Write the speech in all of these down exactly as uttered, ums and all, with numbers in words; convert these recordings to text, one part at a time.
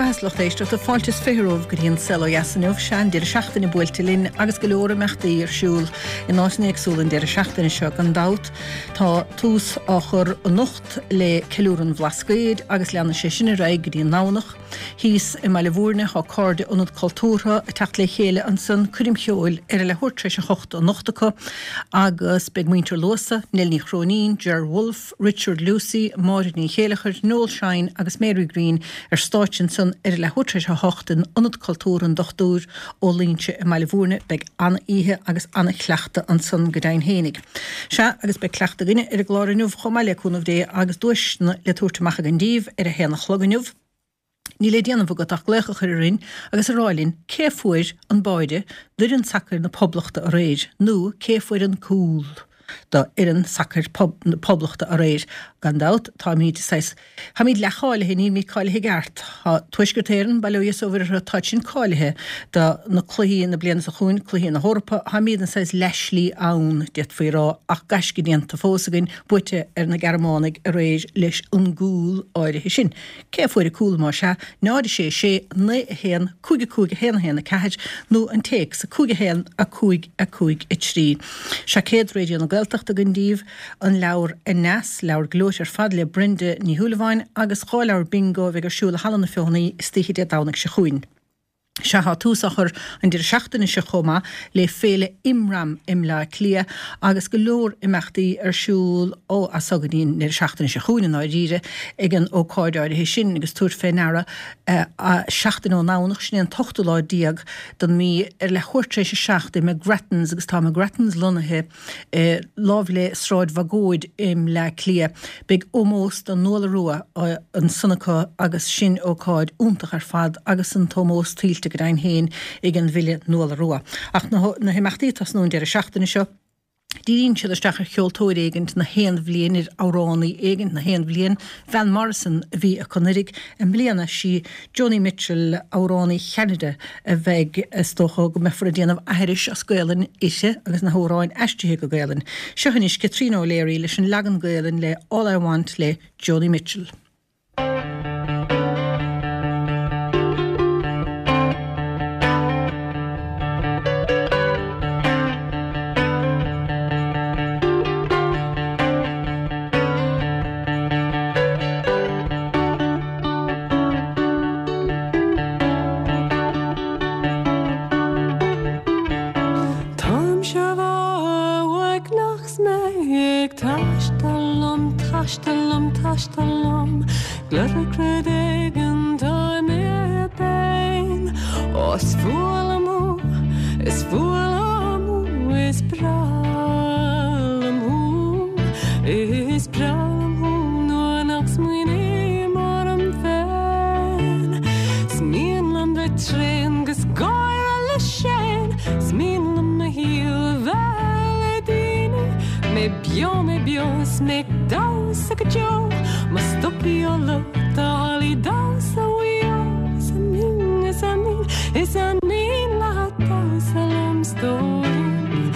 mbeatha lucht éisteachta fáilte is fiche romhaibh go dtí an Saol Ó Dheas inniu sea an deireadh seachtaine buailte linn agus go leor imeachtaí ar siúl in áiteanna éagsúla an deireadh seachtaine seo gan dabht. Tá tús á chur anocht le ceiliúradh an Bhlascaoid agus leanfaidh sé sin ar aghaidh go dtí an Domhnach. Thíos i mBaile Bhúirne tá Cairde Ionad Cultúrtha ag teacht le chéile ansan coirm cheoil ar a leathuair tar éis a hocht anocht acu agus beidh muintir Luasa, Nell Ní Chróinín, Ger Wolfe, Richard Lucey, Máire Ní Chéileachair, Noel Shine agus Mary Greene ar stáitse ansan ar a leathuair tar éis a hocht in Ionad Cultúrtha an Dochtúir Ó Loingsigh i mBaile Bhúirne. Beidh an-oíche agus an-chleachtadh ansan go deimhin fhéinig. Sea, agus beidh cleachtadh againne ar an gclár inniu chomh maith le cúnamh Dé agus duaiseanna le tabhairt amach againn daoibh ar a haon a chlog inniu. Níl le déanamh agat ach glaoch a chur orainn agus a rá linn cé a fuair an báide d'fhoireann sacair na Poblachta aréir nó cé a fuair an cúl do fhoireann sacair na Poblachta aréir. Gan dabht, táimid saghas, táimid leathcháilithe, nílimid cáilithe i gceart. Tá Tuaisceart Éireann, bail ó Dhia is ó Mhuire orthu, táid sin cáilithe do na cluichí na bliana seo chugainn, cluichí na hEorpa. Táimid an saghas leathshlí ann, d'fhéadfaí a rá, ach gaisce déanta fós againn, buaite ar na Gearmánaigh aréir leis an gcúl áirithe sin. Cé a fuair an cúl más ea? náid a sé sé, naoi a haon, cúig a cúig a haon a haon a ceathair nó an téacs, a cúig a haon, a cúig a cúig a trí. Seaicéad Raidió na Gaeltachta againn daoibh, an leabhar Aneas, leabhar gleoite ar fad le Brenda Ní Shúilleabháin agus dhá leabhar bingo a bheidh ar siúl i Halla na Feothanaí istoíche Dé Domhnaigh seo chugainn. Sea, tá tús á chur an deireadh seachtaine seo chomh maith le Féile Imram i mBleá Cliath agus go leor imeachtaí ar siúl ó as so go dtí an deireadh seachtaine seo chugainn i ndáiríre ag an ócáid áirithe sin agus tabhair fé ndeara seachtain ón nDomhnach, sin é an t-ochtú lá déag den mhí, ar leathuair tar éis a seacht i McGrattans agus tá McGrattans lonnaithe láimh le Sráid Bhagóid i mBleá Cliath. Beidh ómós do Nuala Rua ansan acu agus sin ócáid iontach ar fad agus an t-ómós tuillte go deimhin féin ag an bhfile Nuala Rua. Ach na himeachtaí ag tosnú an deireadh seachtaine seo, díríonn siad isteach ar cheoltóir éigint na haon bhliain, ar amhránaí éigint na haon bhliain. Van Morrison a bhí acu anuraidh. I mbliana, sí Joni Mitchell, amhránaí Cheanada, a bheidh, is dócha go mbeifear ag déanamh aithris as Gaelainn uirthi agus na hamhráin aistrithe go Gaelainn. Seo anois Caitríona O'Leary leis an leagan Gaelainn le All I Want le Joni Mitchell. Táimse uaigneach 's mé ag taisteal liom, taisteal liom, taisteal liom, Gluaiseacht rud éigin tá mé féin. Ó is fuath liom thú, is fuath liom thú, is breá liom thú, is breá liom thú nuair nach smaoiním orm féin. 'S mian liom bheith tréan 'gus gáire le Shane, 's mian liom mo shaol a bheith le daoine, mé beo mé beo 's mé ag damhsa go deo, má stopfaidh an lucht a hallaí damhsa Mhaigh Eo. Is an mian, is an mian, is an mian leat damhsa liom stóirín,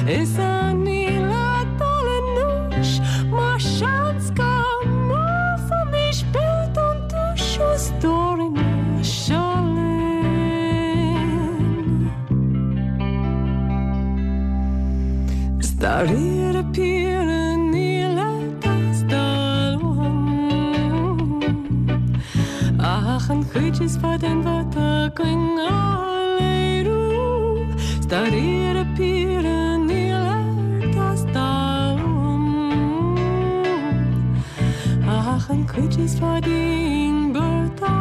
is an mian leat dul anuas mar seans go mbuafaimis beirt an duais a stóirín seo linn. 'S dáiríre píre níl ag teastáil uaim ach an chuid is fearr den bheirt againn a léiriú. 'S dáiríre píre níl ag teastáil uaim ach an chuid is fearr dínn beirt a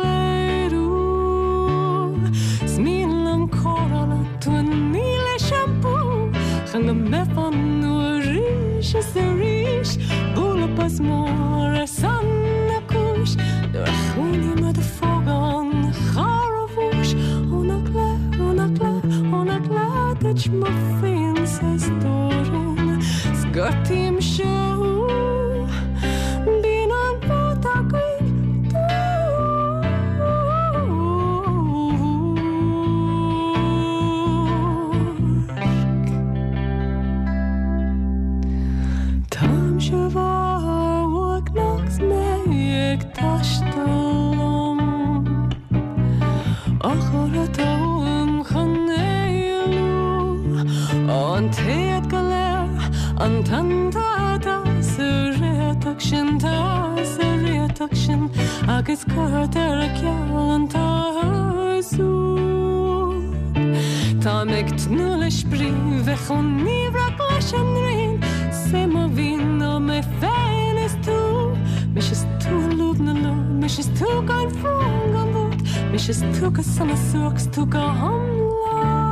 léiriú. 'S mian liom cóireáil tú a ní le seampú chun go mbeifeá nua arís is arís bualadh bos mór ar son na cúis nuair a chuimhním ar do phóg an chara bhúis ó nach léir ó nach léir ó nach léir duit mo phiansa stóirín 's gortaímse thú bíonn an bheirt againn duairc. Táimse uaigneach 's mé ag taisteal liom. An tonnta atá sa réiteach sin tá sa réiteach sin agus cuirtear ar ceal an t-áthas úd. Táim ag tnúth le spraoi bheith chomh niamhrach leis an ngrian 's é mo mhian ná mé féin is tú. Mise is tú i lúb na lúb, mise is tú gan bhrón gan bhuairt, mise is tú go sona suairc 's tú go hiomlán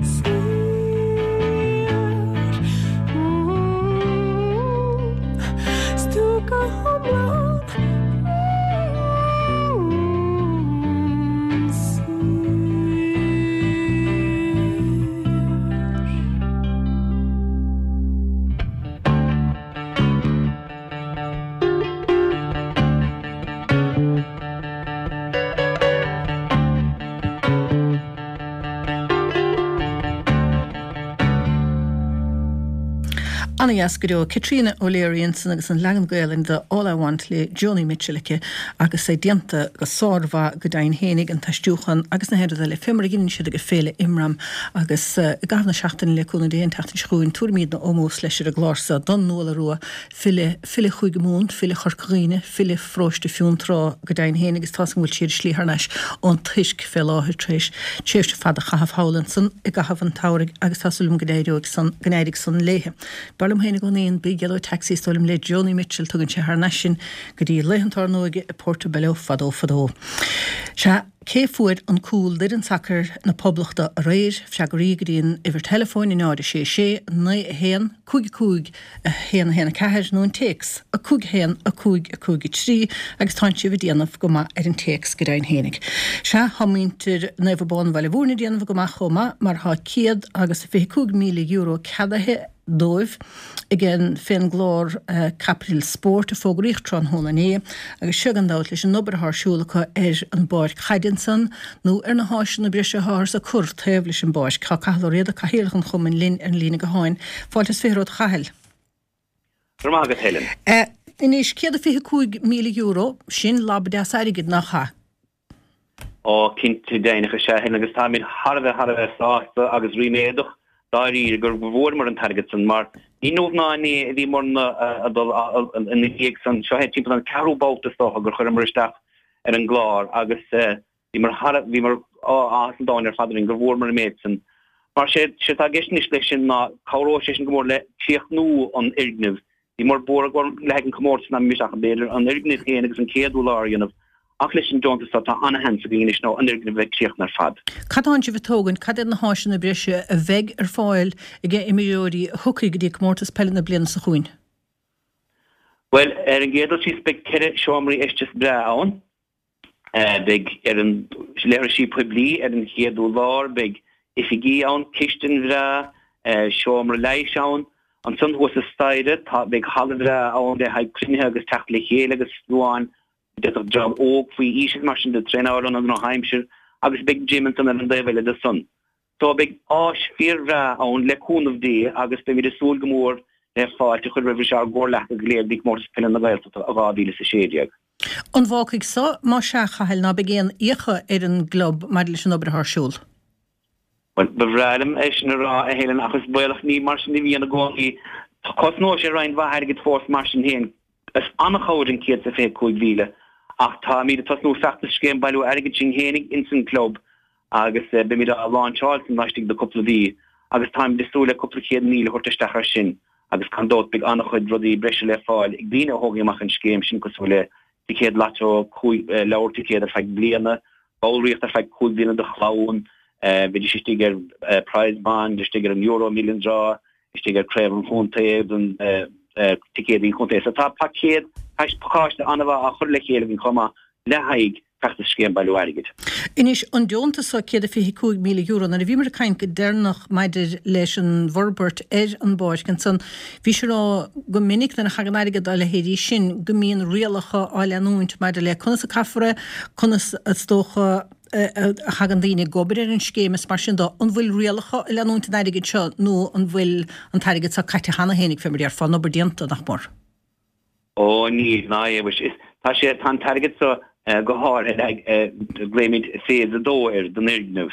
saor. 's tú go hiomlán saor. Ana-dheas go deo. Caitríona O'Leary ansan agus an leagan Gaelainne de All I Want le Joni Mitchell aici agus é déanta go sármhaith go deimhin fhéinig, an t-aistriúchán agus na haon rud eile, fé mar a dheineann siad ag Féile Imram agus i gcaitheamh na seachtaine le cúnamh Dé an tseachtain seo chugainn tabharfaimidne ómós leis ar an gclár so don Nuala Rua, file, file Chúige Mumhan, file Chorca Dhuibhne, file Pharóiste Fionntrá go deimhin fhéinig agus tá's agam go bhfuil sí ar a slí thar n-ais ón Tuirc fé láthair tar éis tréimhse fada a chaitheamh thall ansan i gcaitheamh an tsamhraidh agus tá súil agam go n-éireoidh san, go n-éirigh san léithe. B'fhearr liom féin i gcónaí an Big Yellow Taxi is dóigh liom le Joni Mitchell, tugann sé thar n-ais sinn go dtí laethanta ár n-óige i Portobello fadó fadó. Sea, cé fuair an cúl d'fhoireann sacair na Poblachta aréir? Freagraí go dtí an uimhir teileafóin, a náid a sé sé, naoi a haon, cúig a cúig, a haon a haon a ceathair nó an téacs, a cúig a haon, a cúig a cúig a trí agus tánn sibh ag déanamh go maith ar an téacs go deimhin fhéinig. Sea, tá muintir Naomh Abán Bhaile Mhúirne ag déanamh go maith chomh maith mar tá céad agus a fiche cúig míle euro ceadaithe dóibh ag an fén gclár Caipitil Spóirt a fógraíodh tráthnóna inné agus seo gan dabht leis an obair atá ar siúl acu ar an bpáirc chaide ansan nó ar na háiseanna breise atáthar ag cur taobh leis an bpáirc. Tá Cathal Ó Riada, Cathaoirleach an Chumainn linn ar an líne gutháin. Fáilte is fiche romhat a Chathail. Go raibh maith agat Helen. Anois, céad a fiche cúig míle euro, sin lab deas airgid, nach ea? Ó, cinnte deimhneach is ea Helen agus táimid thar a bheith thar a bheith sásta agus ríméadach dáiríre gur bhfuaireamar an t-airgead san mar ní inniu ná inné a bhíomarna ag dul ina dhiaidh san. Seo é timpeall an ceathrú babhta is dócha gur chuireamar isteach ar an gclár agus bhíomar thar bhíomar áthas an domhain ar fad orainn gur bhfuaireamar an méid san. Mar sé sé atá i gceist anois leis sin ná cabhróidh sé sin go mór le críochnú an fhoirgnimh Bhíomar buartha go le haghaidh an comórtas nach mbeimis ach b'fhéidir an fhoirgneamh féin agus an chéad urlár a dhéanamh ach leis an deontas seo tá ana-sheans againn anois nó an fhoirgneamh a bheith críochnaithe ar fad. Cad tánn sibh ag tógaint, cad iad na háiseanna breise a bheidh ar fáil ag imreoirí a thiocfaidh go dtí comórtas peile na bliana seo chugainn? Bhuel, ar an gcéad dul síos beidh ceithre seomraí fheistis breá ann. Beidh ar an leithrisí poiblí ar an chéad urlár, beidh oifigí ann, cistin bhreá, seomra leighis ann. Ansan thuas sa staighre tá, beidh halla bhreá ann le haghaidh cruinnithe agus teacht le chéile agus fiú amháin d'fhéadfadh dream óg faoi aois agus mar sin de traenáil ann an drochaimsir agus beidh gym ansan ar an dtaobh eile de san. So beidh áis fíorbhreá ann le cúnamh Dé agus beimid ag súil go mór le fáilte a chur roimh ár gcomhghleacaithe go léir go dtí Comórtas Peile na Gaeltachta i dhá mhíle is a sé déag. An bhfágfaidh so, más ea, a Chathail, ná beidh aon fhiacha ar an gclub maidir leis an obair atá ar siúl? Bhuel, ba bhreá liom é sin a rá, a Helen, ach is baolach ní mar sin a bhíonn i gcónaí. Cosnóidh sé roinnt mhaith airgid fós mar sin féin. Is an-chabhair an céad is a fiche cúig mhíle, ach táimid ag tosnú feachtas scéim bailiú airgid sinn fhéinig ins an gclub agus beimid á láinseáil san laistigh de cúpla mhí agus táimid ag súil le cúpla céad míle a thabhairt isteach ar sin agus gan dabht beidh an-chuid rudaí breise le fáil ag daoine a thógfaidh amach an scéim sin cosúil le ticéad lató, leabhar ticéad ar feadh bliana, ballraíocht ar feadh cúig bliana do chlann, bheidís istigh ar Prize Bond, istigh ar an Euro Millions Draw, istigh ar Craobh an Chontae don ticéadaí an chontae. So tá paicéad, pacáiste an-mhaith á chur le chéile againn chomh maith le haghaidh feachtas scéim bailiú airgid. Anois, an deontas seo, céad a fiche cúig míle euro, nuair a bhíomar ag caint go deireanach maidir leis an bhforbairt ar an bpáirc ansan, bhís ag rá go minic nuair a thagann airgead dá leithéidí sin go mbíonn rialacha á leanúint maidir le conas a caithfear é, conas is dócha, a thagann daoine ag obair ar an scéim is mar sin de, an bhfuil rialacha ag leanúint an airgid seo nó an bhfuil an t-airgead seo caite cheana fhéinig, fé mar a déarfá, an obair déanta, nach mór? Ó níl, ná é, mhuise. Is, tá sé, tá an t-airgead seo go háirithe le haghaidh, glaoimid Phase a dó air, den fhoirgneamh.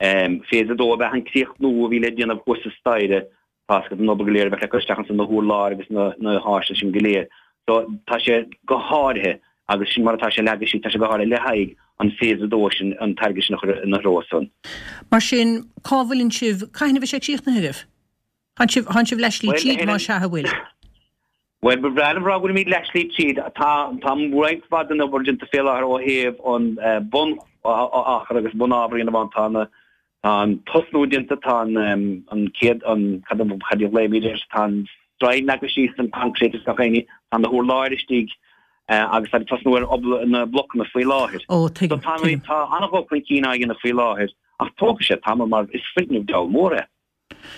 Phase a dó ab ea an críochnú a bhí le déanamh thuas sa staighre, tá a fhios agat an obair go léir a bheadh le cur isteach ansan na hurláir agus na háiseanna sin go léir. So tá sé go háirithe agus sin mar atá sé leagtha síos, tá sé go háirithe le haghaidh an phase a dó sin, an t-airgead sin a chur ina threo san. Mar sin, cá bhfuileann sibh, cathain a bheidh sé críochnaithe agaibh? Tánn sibh, tánn sibh leathshlí tríd, más ea a bhfuil? Bhuel, ba bhreá liom a rá go bhfuilimid leathshlí tríd. Tá, tá roinnt mhaith den obair déanta fé láthair ó thaobh an bun-achar agus bunábhar a dhéanamh ann. Tá na, tá an tosnú déanta, tá an, an chéad, an, cad a, cad a ghlaoimid air, tá an stroighin leagtha síos, an concrete is gach aon ní, tá na hurláir istigh agus tá ag tosnú ar obair na blocanna faoi láthair. Ó, tuigim, So tá, tuigim. tá an-dhul chun cinn á dhéanamh faoi láthair ach tógfaidh sé tamall mar is foirgneamh diabhal mór é.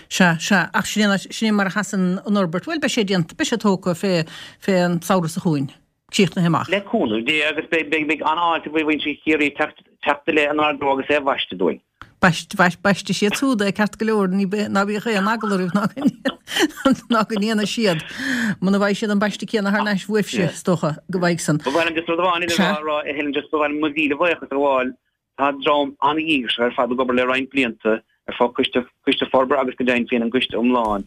Sea, sea, ach sin é, sin é mar a sheasann an fhorbairt. Bhuel, beidh sé déanta, beidh sé tógtha fé, fé an samhradh seo chugainn, críochnaithe amach. Le cúnamh Dé agus beidh, beidh, beidh an-fháilte roimh mhuintir Chiarraí teacht, teacht i leith inár dtreo agus é a bhaisteadh dúinn. Baist, baist, baistfidh siad siúd é ceart go leor, ní, ná bíodh aon eagla oraibh ná go, ná go ndéanfaidh siad. Muna bhfaighidh siad an baisteadh céanna thar n-ais uaibhse, is dócha, go bhfaighidh san. Ba mhaith liom just rud amháin eile a Sea. rá, rá, a Helen, just ba mhaith liom mo mhíle bhuíochas a ghabháil. Tá dream an-dhíograiseach ar fad ag obair le roinnt blianta ar fud Coiste, Coiste Forbartha agus go deimhin féin an gcoiste iomlán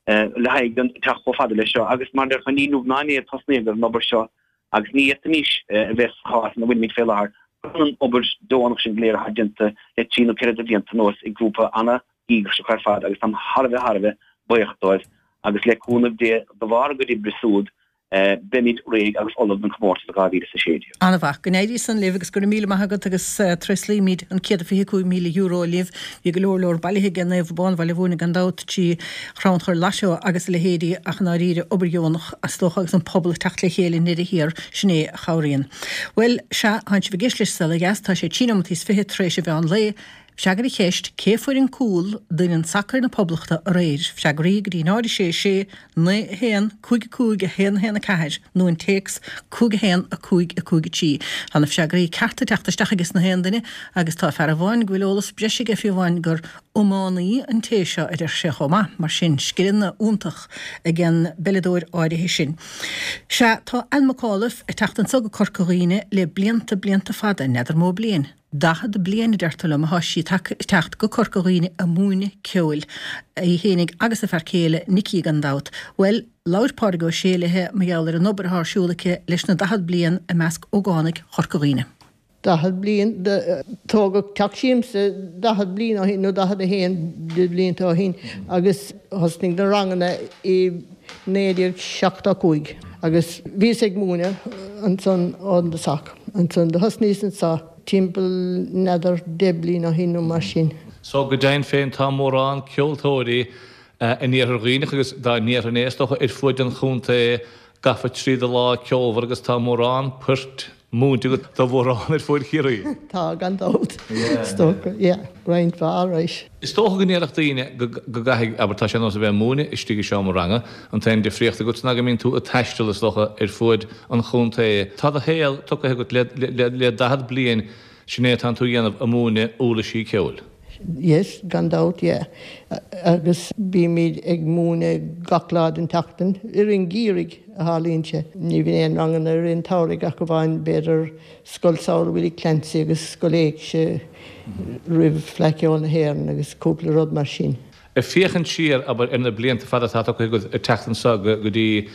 le haghaidh an teacht chomh fada leis seo agus mar a déarfá ní inniu ná inné a tosnaíodh ar an obair seo agus ní fhéadfaimis a bheith sa chás ina bhfuilimid fé láthair gan an obair deonach sin go léir atá déanta le trí nó ceithre de bhlianta anuas ag grúpa an-dhíograiseach ar fad agus táim thar a bheith thar a bheith buíoch dóibh agus le cúnamh Dé de bharr a gcuid oibre siúd Beimid réidh agus ullamh don chomórtas i dhá mhíle is a sé déag. An-mhaith. Go n-éirí san libh agus go raibh míle maith agat agus tréaslaímid an céad is fiche cúig míle euro libh. Bhí go leor leor bailithe ag Naomh Abán Bhaile Mhúirne gan dabht trí chrannchur lotto agus a leithéidí ach i ndáiríre obair dheonach is dócha agus an pobal ag teacht le chéile i ndeireadh thiar, sin é a chabhraíonn. Bhuel, sea, tánn sibh ag éisteacht leis Saol Ó Dheas, tá sé trí nóimeataí is fiche tar éis an mheán lae. Freagair an cheist, Cé fuair an cúl d'fhoireann sacair na Poblachta aréir? Freagraí go dtí náid a sé sé, naoi a haon, cúig a cúig, a haon a haon a ceathair nó an téacs cúig a haon, a cúig, a cúig a trí. Tá na freagraí cearta ag teacht isteach ages na haon duine agus tá fear amháin go bhfuil eolas breise aige fiú amháin gur iománaí an té seo a deir sé chomh maith. Mar sin, scileanna iontach ag an bpeileadóir áirithe sin. Sea, tá Anne McAuliffe ag teacht anso go Corca Dhuibhne le blianta, blianta fada, n'fheadar mó bliain. Daichead bliain, a deirtear liom, atá sí ag teacht go Corca Dhuibhne ag múineadh ceoil, í fhéinig agus a fear céile, Nicky gan dabht. Bhuel, labhair Pádraig Ó Sé léi mar gheall ar an obair atá ar siúl aici leis na daichead bliain i measc ógánaigh Chorca Dhuibhne. Daichead bliain, tógadh Teach Siamsa daichead bliain ó shin, nó daichead a haon de bhlianta ó shin, agus thosnaigh na ranganna i naoi déag seachtó cúig agus bhíos ag múineadh ansan ón dtosach. Ansan do thosnaíos anso timpeall n'fheadar deich bliain ó shin nó mar sin. So go deimhin féin tá mórán ceoltóirí in Iarthar Dhuibhneach agus dá ndéarfainn é is dócha ar fuaid an chontae gafa tríd an lá ceolmhar agus tá mórán poirt múinte agat do mhórán ar fuaid Chiarraí. Tá, gan dabht. Is dócha, yeah, roinnt mhaith alright. Is dócha go ndéarfadh daoine go gcaithfidh, abair, tá sé ar nós a bheith ag múineadh istigh i seomra ranga, an t-aon difríocht agat ná go mbíonn tú ag taisteal, is dócha, ar fuaid an chontae. Tá do shaol tugtha agat le, le, le daichead bliain, sin é atánn tú a dhéanamh, ag múineadh uirlisí ceoil. Yes, gan dabht, yeah. Agus bímid ag múineadh gach lá den tseachtain, i rith an gheimhridh a tharlaíonn sé. Ní bhíonn aon ranganna i rith an tsamhraidh ach amháin b'fhéidir Scoil Samhraidh Willie Clancy agus Scoil Éigse roimh Fleadh Cheoil na hÉireann agus cúpla rud mar sin. Ag féachaint siar, abair, ar na blianta fada atá tugtha agat ag teacht anso go dtí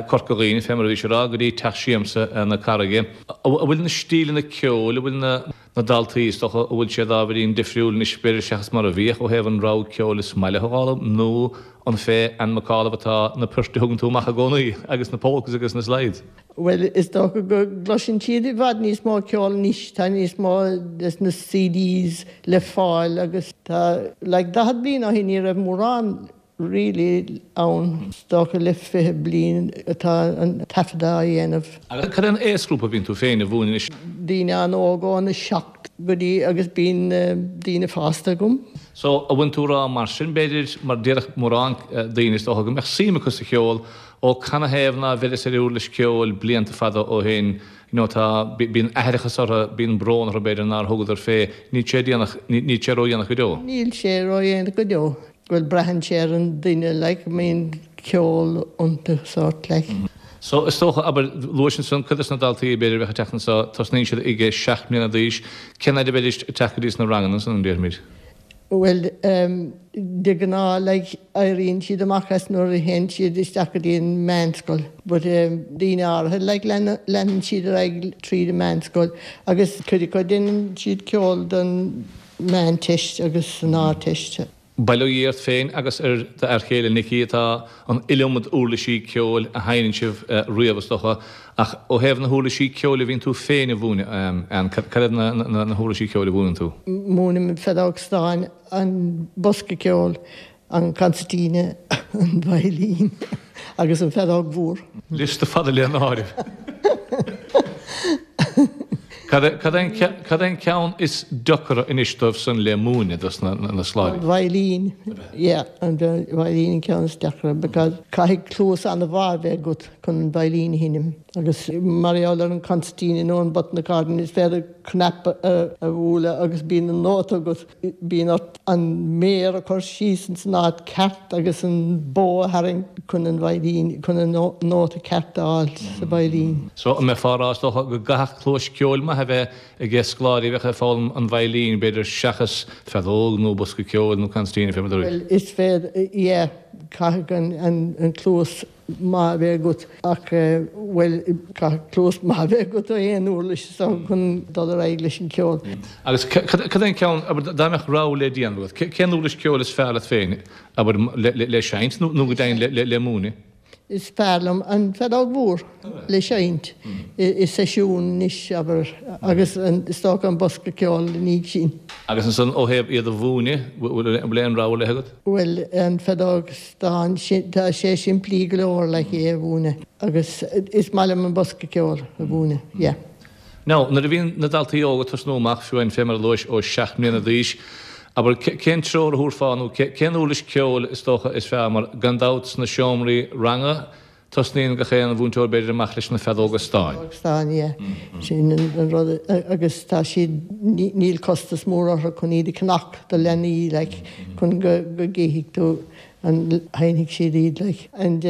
Corca Dhuibhne, fé mar a bhís ag rá, go dtí Teach Siamsa na Carraige, an bhfuil na stíleanna ceoil, an bhfuil na na daltaí, is dócha, an bhfuil siad ábhairín difriúil anois b'fhéidir seachas mar a bhíodh ó thaobh an rogha ceoil is maith leo a fhoghlaim, nó an fé Anne McAuliffe atá na poirt a thugann tú amach i gcónaí agus na polkas agus na slides? Bhuel, is dócha go gcloiseann siad i bhfad níos mó ceoil anois, tá níos mó des na CDs le fáil agus tá, like, daichead bliain ó shin ní raibh mórán really ann, is dócha le fiche bliain atá an taifeadadh á dhéanamh. Agus cad é an aosghrúpa a bhíonn tú féin a mhúineadh anois? Daoine an-óg óna seacht go dtí agus bíonn daoine fásta agam. So, an bhfuil tú ag rá mar sin b'fhéidir, mar déarfadh mórán daoine is dócha go mbeadh suim acu sa cheol, ó canathaobh ná bheireas ar uirlis ceoil blianta fada ó shin, you know tá, bíonn aithreachas orthu, bíonn brón orthu b'fhéidir nár thugadar fé, níl sé déanach, níl sé ródhéanach go deo. Níl sé ródhéanach go deo. Bhuel, braitheann sé ar an duine, like, an mbíonn ceol iontu, sort, like. So, is dócha, abair, luais ansan cuid des na daltaí, b'fhéidir, a bheadh ag teacht anso, tosnaíonn siad ag seacht mbliana d'aois, cén fhaid a bheidís ag teacht go dtí sna ranganna ansan, déarfaimid? Bhuel, de ghnáth like éiríonn siad amach as nuair a théann siad isteach go dtí an meánscoil but daoine áirithe like leanann siad ar aghaidh tríd an meánscoil agus cuid acu déanann siad ceol don mheánteist agus an Ardteist. Bail ó Dhia ort féin agus ar d'fhear chéile Nicky tá an iliomad uirlisí ceoil a sheinneann sibh riamh is dócha, ach ó thaobh na huirlisí ceoil a bhíonn tú féin a mhúineadh, Ann, cad iad na huirlisí ceoil a mhúineann tú? Múinim an feadóg stáin, an bosca ceoil, an concertina, an veidhlín agus an feadóg mhór. Liosta fada le n-áireamh. Cad é an ceann is deacra anois dóibh san le múineadh dos na scoláirí? An veidhlín, yeah, an veidhlín an ceann is deacra because caithfidh cluas an-mhaith a bheith agat chun an veidhlín a sheinm agus mar gheall ar an concertina nó an button accordion is féidir cnaipe a bhualadh agus bíonn an nóta agat, bíonn ort an méar a chur síos ins an áit ceart agus an bó a tharraingt chun an veidhlín, chun an nóta ceart a fháil sa veidhlín. So an mbeifeá ag rá is dócha go gcaithfeadh cluas ceoil maith a bheith ag scoláirí a bheadh ag foghlaim an veidhlín, b'fhéidir, seachas feadóg nó bosca ceoil nó concertina, fé mar a dúirt. Bhuel, is féidir, yeah, caithfidh an cluas maith a bheith agat ach, bhuel, caithfidh cluas maith a bheith agat do aon uirlis is dócha chun dul ar aghaidh leis an gceol. Agus cad é an ceann, abair, dá mbeadh rogha le déanamh agat, cén uirlis ceoil is fearr leat féin, abair, le seinnt nó go deimhin le múineadh? Is fearr liom an feadóg mhór le seinnt i seisiún anois, abair, agus is dócha an bosca ceoil ina dhiaidh sin. Agus ansan ó thaobh iad a mhúineadh, bhfuil aon rogha ar leith agat? Bhuel, an feadóg stáin, tá sé simplí go leor le é a mhúineadh agus is maith liom an bosca ceoil a mhúineadh, yeah. Now, nuair a bhíonn na daltaí óga ag tosnú amach, fiú amháin fé mar a luais, ó seacht mbliana d'aois, abair, cén treoir a thabharfá nó cén uirlis ceoil is dócha is fearr mar gan dabht sna seomraí ranga tosnaíonn gach aon mhúinteoir b'fhéidir amach leis na feadóga stáin. Feadóg stáin, yeah. Sin an rud agus tá siad, níl costas mór orthu chun iad a cheannach do leanaí like chun go gcífidh tú an sheinnfidh siad iad like. And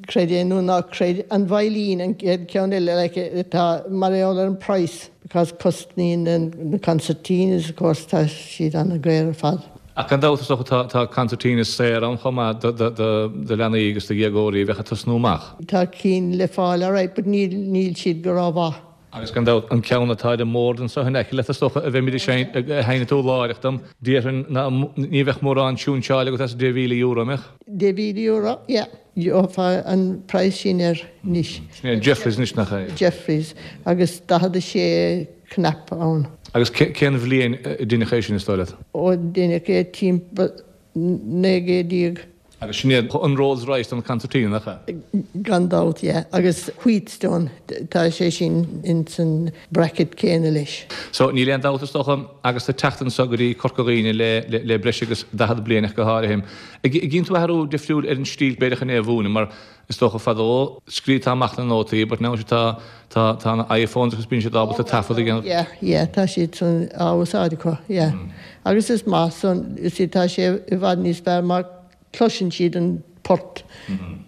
creid é nó ná creid, an veidhlín an chéad ceann eile like atá mar gheall ar an price because cosnaíonn na concertinas of course tá siad an-dhaor ar fad. Ach gan dabht is dócha tá tá concertinas saor ann chomh maith do do do do leanaí agus do dhéagóirí a bheadh ag tosnú amach. Tá cinn le fáil alright but níl níl siad go rómhaith. Agus gan dabht, an ceann atá ar an mbord anseo in aice leat, is dócha, a bheimid ag seinnt tú láithreach dom, déarfainn ná ní bheadh mórán siúnseáil agat as deich mhíle euro, an mbeadh? Deich mhíle euro, yeah. Gheofá an praghas sin air anois. Sin é an Jeffreys anois, nach ea? Jeffreys, agus daichead a sé cnaipe ann. Agus cén bhliain a deineadh é sin, is dóigh leat? Ó, deineadh é timpeall naoi gcéad déag. Agus sin é an Rolls Royce don concertina, nach ea? Gan dabht, yeah. Agus Wheatstone, tá sé sin ins an bracket céanna leis. So, níl aon dabht is dócha, agus tú ag teacht anso go dtí Corca Dhuibhne le, le, le breis agus daichead bliain ach go háirithe. An gcíonn tú athrú difriúil ar an stíl b'fhéidir chun é a mhúineadh, mar is dócha fadó scríobhtá amach na nótaí but now tá, tá, tá na iPhones agus bíonn siad ábalta taifead a dhéanamh. Yeah, yeah, tá siad san á úsáid acu, yeah. Agus is maith san, you see, tá sé i bhfad níos fearr mar cloiseann siad an port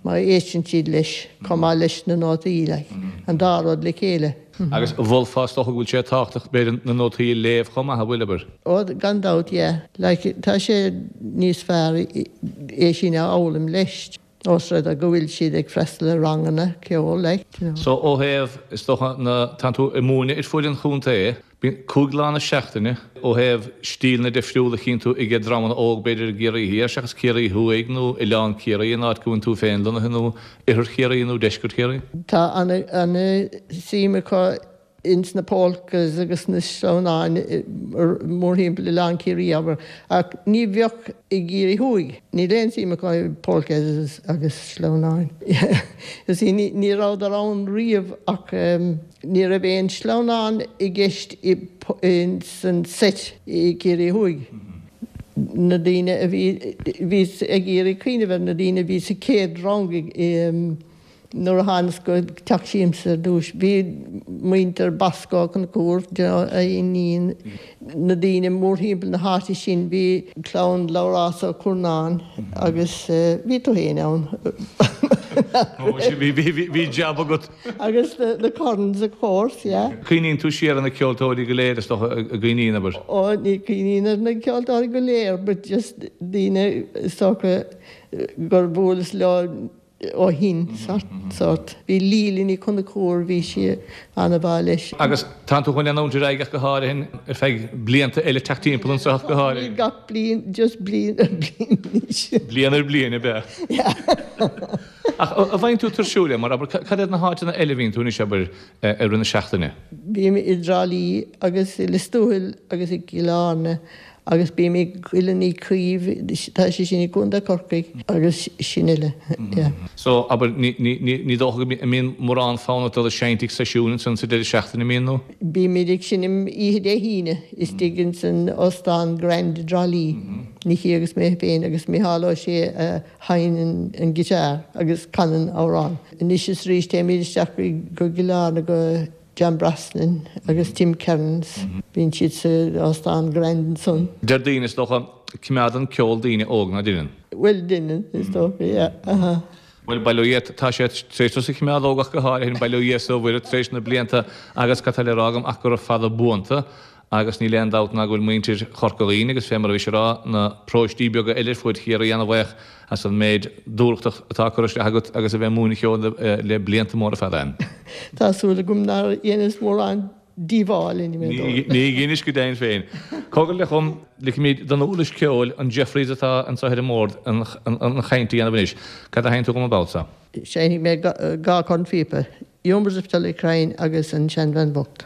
má éisteann siad leis, chomh maith leis na nótaí, like, an dá rud le chéile. Agus mholfá is dócha go bhfuil sé tábhachtach, b'fhéidir, na nótaí a léamh chomh maith, an bhfuil, abair? Ó, gan dabht, yeah. Like, tá sé níos fearr é sin a fhoghlaim leis, ós rud é go bhfuil siad ag freastal ar ranganna ceoil, like, you know. So, ó thaobh, is dócha, na, tánn tú ag múineadh ar fuaid an chontae, Bíonn cúig lá na seachtaine ó thaobh stíleanna difriúla a chíonn tú ag dreamanna óg b'fhéidir i gCiarraí Thiar seachas Ciarraí Thuaidh nó Oileán Ciarraí an áit go bhfuil tú féin lonnaithe nó Oirthear Chiarraí nó Deisceart Chiarraí. Tá ana-shuim acu ins na polkas agus na sleamhnáin mórthimpeall Oileán Ciarraí, abair, ach ní bheadh i gCiarraí Thuaidh. Níl aon suim acu i polkas agus sleamhnáin. You see, ní rabhadar ann riamh ach ní raibh aon sleamhnán i gceist san seit i gCiarraí Thuaidh. Na daoine a bhí, bhíos ag iarraidh cuimhneamh ar na daoine a bhí sa chéad rang i Nuair a thánas go Teach Siamsa ar dtús, bhí muintir Bosco Ó Conchúir, you know, a iníon, na daoine mórthimpeall na háite sin, bhí clann Labhrás Ó Curnáin agus bhí tú féin ann. Bhí jab agat. Agus na corns of course, yeah. Cuimhníonn tú siar ar na ceoltóirí go léir is dócha a gcuimhníonn abair. Ó ní cuimhním ar na ceoltóirí go léir, but just daoine is dócha gur bhuaileas leo ó shin, sort. Bhí Leela Ní Chonchúir, bhí sí an-mhaith leis. Agus tánn tú chun leanúint ar aghaidh ach go háirithe ar feadh blianta eile teacht timpeall anseo ach go háirithe. Gach bliain, just bliain ar bliain anois. Bliain ar bliain, ab ea? Yeah. Ach an bhfaigheann tú tuirsiúil é mar abair, cad iad na háiteanna eile a bhíonn tú anois abair i rith na seachtaine? Bím i dTrá Lí agus i Lios Tuathail agus i gCill Airne agus bím i gCoill Uí Chaoimh, tá sé sin i gContae Chorcaí agus sin uile, yeah. So, abair, ní, ní, ní, ní dócha go mbíonn mórán fonn ort dul ag seinnt ag seisiún ansan sa deireadh seachtaine, mbíonn nó? Bímid ag seinm oíche Dé hAoine istigh ins an Óstán Grand i dTrá Lí, Nicky agus mé féin agus Micheál Ó Sé a sheinneann an guitar agus canann amhrán. Anois is arís téimid isteach go Cill Airne go John Brosnan agus Tim Kearns, bíonn siad sa Óstán Grand ansan. Deir daoine, is dócha, coimeádann ceol daoine óg, ná deineann? Bhuel, deineann, is dócha, yeah, aha. Bhuel, bail ó Dhia, tá sé tar éis tusa a choimeád óg ach go háirithe, bail ó Dhia is ó Mhuire tar éis na blianta agus cad tá le rá agam ach gura fada buanta agus níl aon dabht ná go bhfuil muintir Chorca Dhuibhne agus fé mar a bhís ag rá, na paróistí beaga eile ar fuaid Chiarraí ana-bhaoch as an méid dúthracht atá curtha isteach agat agus a bheith ag múineadh ceoil le blianta móra fada. Tá súil agam nár dheineas mórán díobháil anyway dóibh. Ní dheinis go deimhin féin. Cogar le chum, ligfimid don uirlis ceoil, an Jeffreys atá anseo ar an mbord, an chaint a dhéanamh anois. Cad a sheinnfidh tú dhom an babhta seo? Seinnfidh mé dhá chornphíopa, Yumbers of Tullycrine agus An Seanbhean Bhocht.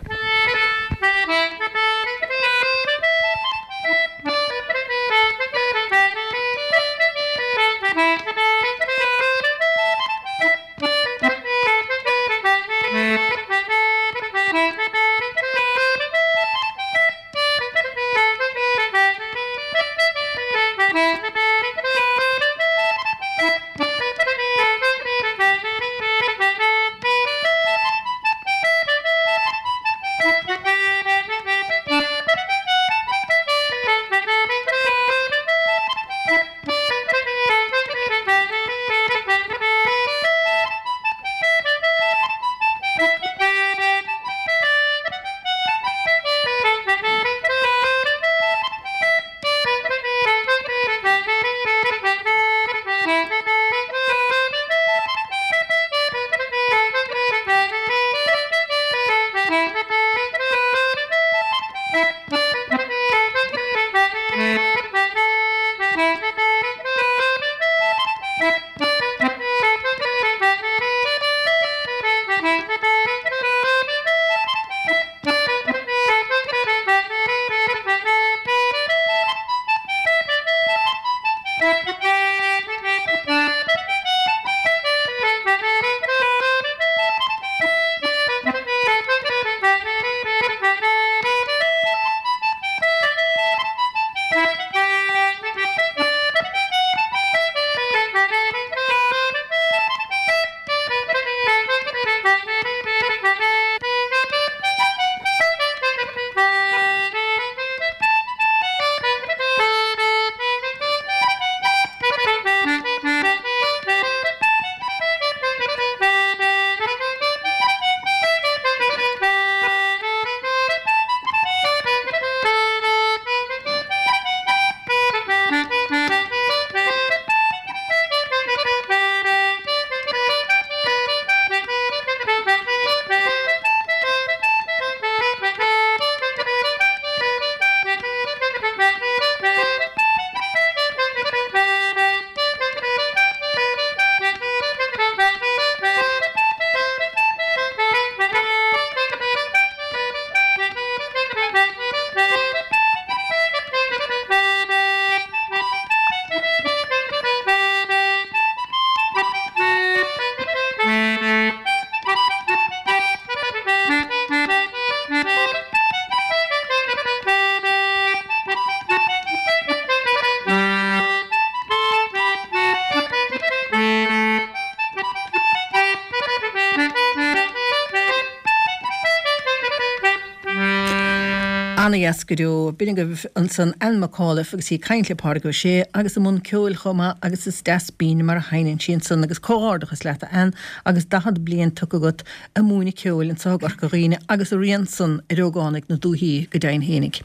Ana-dheas go deo. B'in agaibh ansan Anne McAuliffe agus í ag caint le Pádraig Ó Sé agus i mbun ceoil chomh maith agus is deas binn mar a sheinneann sí ansan agus comhghairdeachas leat a Anne agus daichead bliain tugtha agat ag múineadh ceoil anso i gCorca Dhuibhne agus a rian san ar ógánaigh na dúichí go deimhin fhéinig.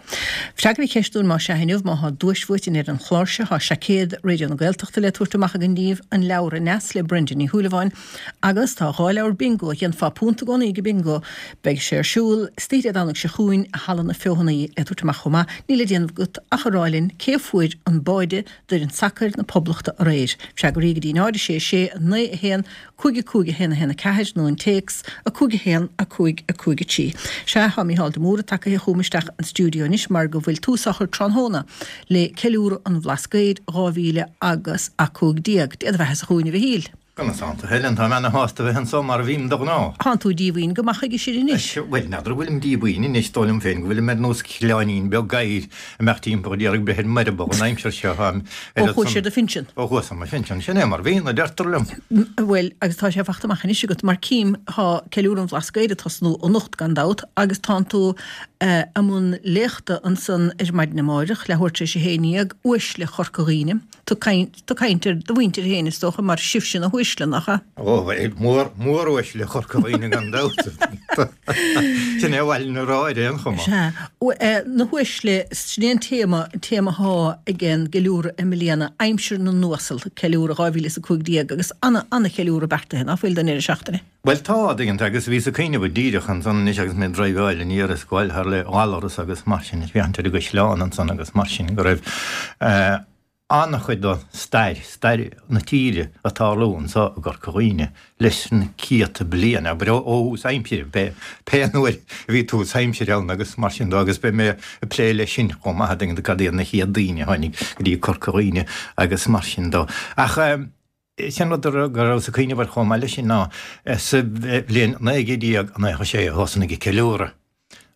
Freagair an cheist dúinn más ea inniu má thá duais buaite ar an chlár seo thá seaicéad Raidió na Gaeltachta le tabhairt amach againn daoibh, an leabhar Aneas le Brenda Ní Shúilleabháin agus tá dhá leabhar bingo a dhéanfá punt i gcónaí go bingo Beidh sé ar siúl istoíche Dé Domhnaigh seo chugainn i Halla na Feothanaí le tabhairt amach chomh maith. Níl le déanamh agat ach a rá linn cé a fuair an báide d'fhoireann sacair na Poblachta aréir. Freagraí go dtí náid a sé sé naoi a haon cúig a cúig a haon a haon a ceathair nó an téacs a cúig a haon a cúig a cúig a trí. Sea, tá Mícheál de Mórdha tagaithe chugam isteach an stiúideo anois mar go bhfuil tús á chur tráthnóna le Ceiliúradh an Bhlascaoid dhá mhíle agus a cúig déag. Dé do bheatha-sa chugainn a Mhichíl. Conas tánn tú, Helen? Táim ana-shásta bheith anso mar a bhím de ghnáth. Tánn tú díomhaoin go maith chuige sin anois. Bhuel, n'fheadar an bhfuilim díomhaoin anois, dóigh liom féin go bhfuilim ar nós coileáinín beag gadhair a mbeadh timpeall ag iarraidh breith ar m'eireaball an aimsir seo. Táim Ó chuais ar do phinsean. Ó chuas ar mo phinsean, sin é mar bhíonn, a deirtear liom. Bhuel, agus tá sé fachta amach anois agat, mar cím, tá Ceiliúradh an Bhlascaoid ag tosnú anocht gan dabht agus tánn tú i mbun léachta ansan ar maidin amáireach, leathuair tar éis a haon dhéag, Uaisle Chorca Dhuibhne. Tú ag caint ar do mhuintir féin, is dócha, mar sibhse na huaisle, nach ea? Ó, mór, móruaisle Chorca Dhuibhne gan dabht. Sin é a mhaith linn a rá ar aon chuma. Sea. Na huaisle, sin é an téama, an téama athá ag an gceiliúradh i mbliana, Aimsir na nUasal, ceiliúradh dhá mhíle is a cúig déag, agus ana, ana-cheiliúradh beartaithe, ná fuil, don deireadh seachtaine? Bhuel tá, a dtuigeann tú, agus bhíos ag cuimhneamh díreach ansan anois agus mé ag driveáil aniar is ag gabháil thar le Gallaras agus mar sin, ag féachaint ar an gcaisleán ansan agus mar sin, go raibh an-chuid de stair, stair na tíre ag tarlú anso i gCorca Dhuibhne leis na céadta bliain, abair ó thús aimsire, pé, pé nuair a bhí tús aimsire ann agus mar sin de agus beidh mé ag plé leis sin chomh maith, a dtuigeann tú, cad iad na chéad daoine a tháinig go dtí Corca Dhuibhne agus mar sin de. Ach sin rud go rabhas ag cuimhneamh air chomh maith leis sin ná sa bhliain naoi gcéad déag nócha sé a thosnaigh an ceiliúradh.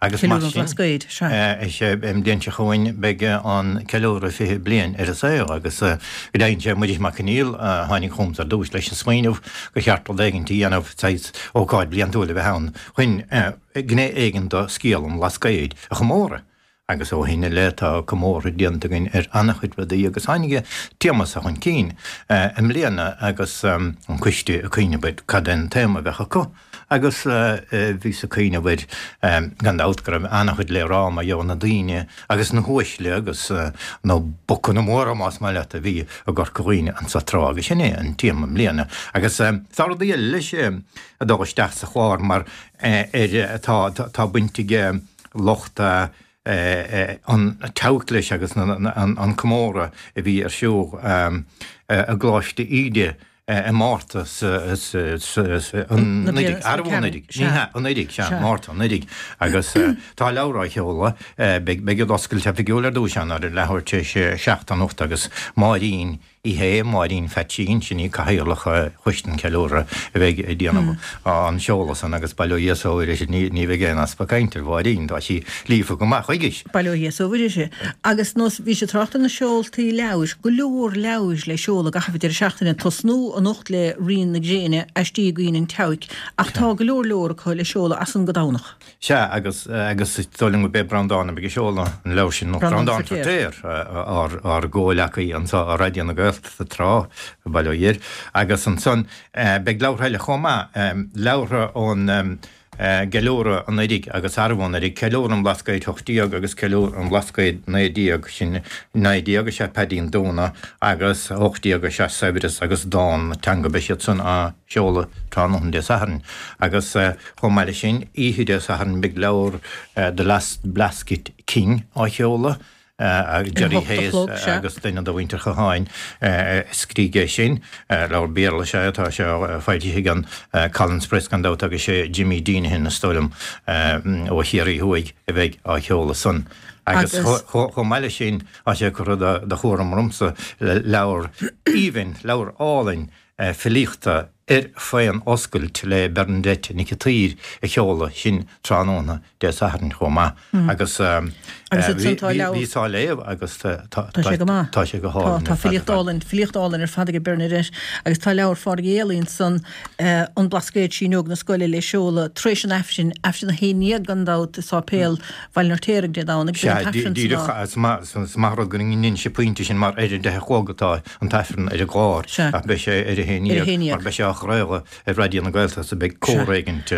Agus mar Ceiliúradh an sin, Bhlascaoid, sea. is ea, an bhliain seo chugainn beidh an ceiliúradh fiche bliain ar an saol agus go deimhin sé Muiris Mac Conghail a tháinig chugamsa ar dtús leis an smaoineamh gur cheart rud éigin a dhéanamh, saghas ócáid bhliantúil a bheith ann chun gné éigin de scéal an Bhlascaoid a chomóradh. Agus ó shin i leith tá comórtha déanta againn ar an-chuid rudaí agus tháinig an téama seo chun cinn i mbliana agus an coiste ag cuimhneamh ar cad é an téama a bheadh acu agus bhíos ag cuimhneamh air gan dabht go raibh an-chuid le rá mar gheall ar na daoine agus na huaisle agus na bocanna móra más maith leat a bhí i gCorca Dhuibhne anso tráth agus sin é an téama i mbliana. Agus tá rudaí eile leis ag dul isteach sa chlár mar ar tá tá baint ag lucht an tSeabhaic leis agus an comóradh a bhí ar siúl i gColáiste Íde i Márta anuraidh, arbh anuraidh? Ní hea, anuraidh, sea, Márta anuraidh. Agus tá leabhar á sheoladh, beidh an oscailt oifigiúil ar dtús ann ar leathuair tar éis a seacht anocht agus Máirín Uí Shé, Máirín Pheaitsín, sin í cathaoirleach Choiste an Cheiliúrtha a bheidh ag déanamh an seoladh san agus bail ó Dhia is ó Mhuire ní ní bheidh aon easpa cainte ar Mháirín, tá sí líofa go maith chuige. Bail ó Dhia is ó Mhuire uirthi. Agus nós, bhís ag trácht ar na seoltaí leabhair, go leor leabhair le seoladh i gcaitheamh an deireadh seachtaine, tosnú anocht le Rian na Gréine, Aistí Uí Dhuinn an tSeabhaic, ach tá go leor leor acu le seoladh as san go Domhnach. Sea, agus, agus is dóigh liom gurb é Breandán a bheidh ag seoladh an leabhair sin, nó Breandán Breandán Feirtéar. Feirtéar, ár, ár gcomhleacaí anso i Raidió na Gaeltachta tráth, bail ó Dhia air. Agus ansan, beidh leabhartha eile chomh maith, leabhartha ón gceiliúradh anuraidh agus arbh anuraidh, Ceiliúradh an Bhlascaoid hocht déag agus Ceiliúradh an Bhlascaoid naoi déag, sin naoi déag is ea Paidín Dúna agus hocht déag is ea Saibhreas agus Dán na Teanga, beidh siad san á seoladh tráthnóna Dé Sathairn. Agus. Chomh maith leis sin, oíche Dé Sathairn beidh leabhar The Last Blasket King á sheoladh, Gerry Hayes agus duine de mhuintir Chatháin a scrígh é sin. Leabhar Béarla is ea é, tá sé foilsithe ag an Collins Press gan dabht agus sé Jimmy Deenihan, is dóigh liom, ó Chiarraí Thuaidh a bheidh á sheoladh san. Agus chomh maith leis sin, tá sé curtha de chúram ormsa leabhar aoibhinn, leabhar álainn filíochta Ar Faon Oscailt le Bernadette Nic an tSaoir a sheoladh, sin tráthnóna Dé Sathairn chomh maith. Agus bhíos á léamh agus tá sé go maith. Tá sé go hálainn. Tá filíocht álainn, filíocht álainn ar fad ag Bernadette agus tá leabhar Phádraig Uí Héalaí ansan, An Blascaod Síneog na Scoile le seoladh tar éis an Aifrinn, Aifreann a haon déag gan dabht i Sáipéal Bhaile an Fheirtéaraigh Dé Domhnaigh. Sea, díreach, is maith rud go ndeinis an pointe sin mar ar a deich a chlog atá an tAifreann ar an gclár ach beidh sé ar a haon déag mar beidh sé á chraoladh ar Raidió na Gaeltachta beidh cór éigint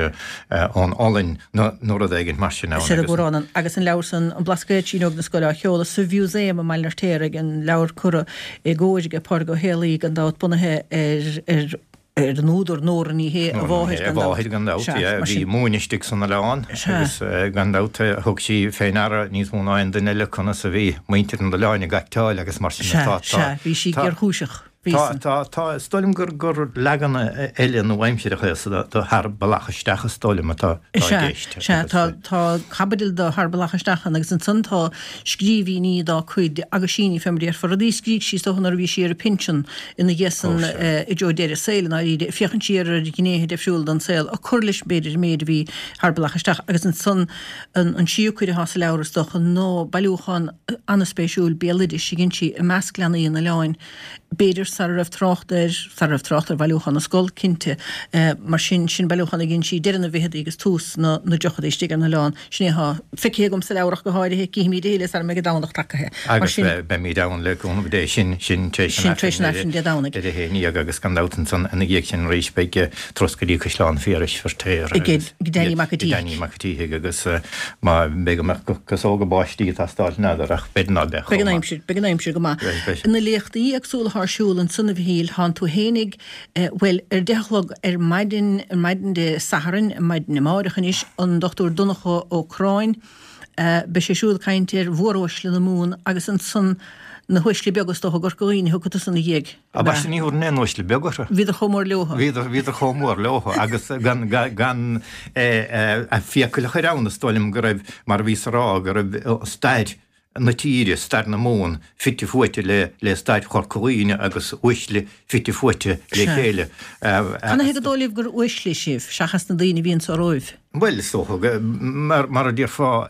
ón Ollainn nó rud éigint mar sin ann. Sea, agus. Agus an leabhar san, An Blascaod Síneog na Scoile á sheoladh sa Mhúsaem i mBaile an Fheirtéaraigh, an leabhar curtha i gcóir ag Pádraig Ó Héalaí gan dabht bunaithe ar ar an údar Nóra Ní Shé, a mháthair gan dabht. A mháthair gan dabht, yeah. Bhí múineadh istigh san oileán agus gan dabht thug sí fé ndeara níos mó ná aon duine eile conas a bhí muintir an oileáin ag acteáil agus mar sin. Sea, sea, bhí sí géarchúiseach. Tá, tá, tá, is dóigh liom gur, gur leagan eile nua-aimseartha é de Thar Bealach Isteach is dóigh liom atá i gceist. Sea, sea, tá, tá caibidil de Thar Bealach Isteach ann agus ansan tá scríbhinní dá cuid, aguisíní fé mar a déarfá, rudaí a scrígh sí is dócha nuair a bhí sí ar a pinsean ina dhiaidh san i dtreo deireadh a saoil i ndáiríre, ag féachaint siar ar ghnéithe difriúla den saol, ag cur leis b'fhéidir an méid a bhí Thar Bealach Isteach agus ansan an, an tríú cuid atá sa leabhar is dócha ná bailiúchán an-spéisiúil béaloidis a dhein sí i measc leanaí an oileáin. b'fhéidir sara raibh trácht air, sara raibh trácht ar Bhailiúchán na Scol, cinnte. Mar sin, sin bailiúchán a dhein sí deireadh na bhficheadaí agus tús na dtríochadaí istigh ar an oileán. Sin é atá feicthe agam sa leabhar ach go háirithe. Cífimid a thuilleadh sara mbeidh an Domhnach tagaithe. Mar Agus sin. beimid ann le cúnamh Dé. Sin, sin tar éis an Sin tar éis an Aifrinn Dé Domhnaigh. ar a haon déag agus gan dabht ansan ina dhiaidh sin arís beidh turas go dtí Caisleán Phiarais Feirtéar Ag agus Danny Mac an tSíthigh. Danny Mac an tSíthigh agus má bheidh go mbeadh casóga báistí ag teastáil n'fheadar ach b'fhéidir ná beadh Beidh an aimsir, beidh an aimsir go maith. Na léachtaí éagsúla atá ar siúl ansan a Mhichíl, thánn tú fhéinig, bhuel, ar deich a chlog ar maidin, ar maidin Dé Sathairn, ar maidin amáireach anois, an Dochtúir Donncha Ó Corráin, beidh sé siúd ag caint ar mhóruaisle na Mumhan agus ansan na huaisle beaga is dócha i gCorca Dhuibhne a thiocfaidh tusa ina dhiaidh. Ambaiste ní thabharfainn aon uaisle beag orthu. Bhíodar chomh mór leothu. Bhíodar, bhíodar chomh mór leothu agus gan, gan fiacail a chur ann is dóigh liom go raibh, mar a bhíos a rá, go raibh stair na tíre, stair na Mumhan, fite fuaite le le stair Chorca Dhuibhne agus uaisle fite fuaite le chéile. Canathaobh gur dóigh libh gur uaisle sibh, seachas na daoine a bhí anso romhaibh? Bhuel, is dócha, mar mar a déarfá,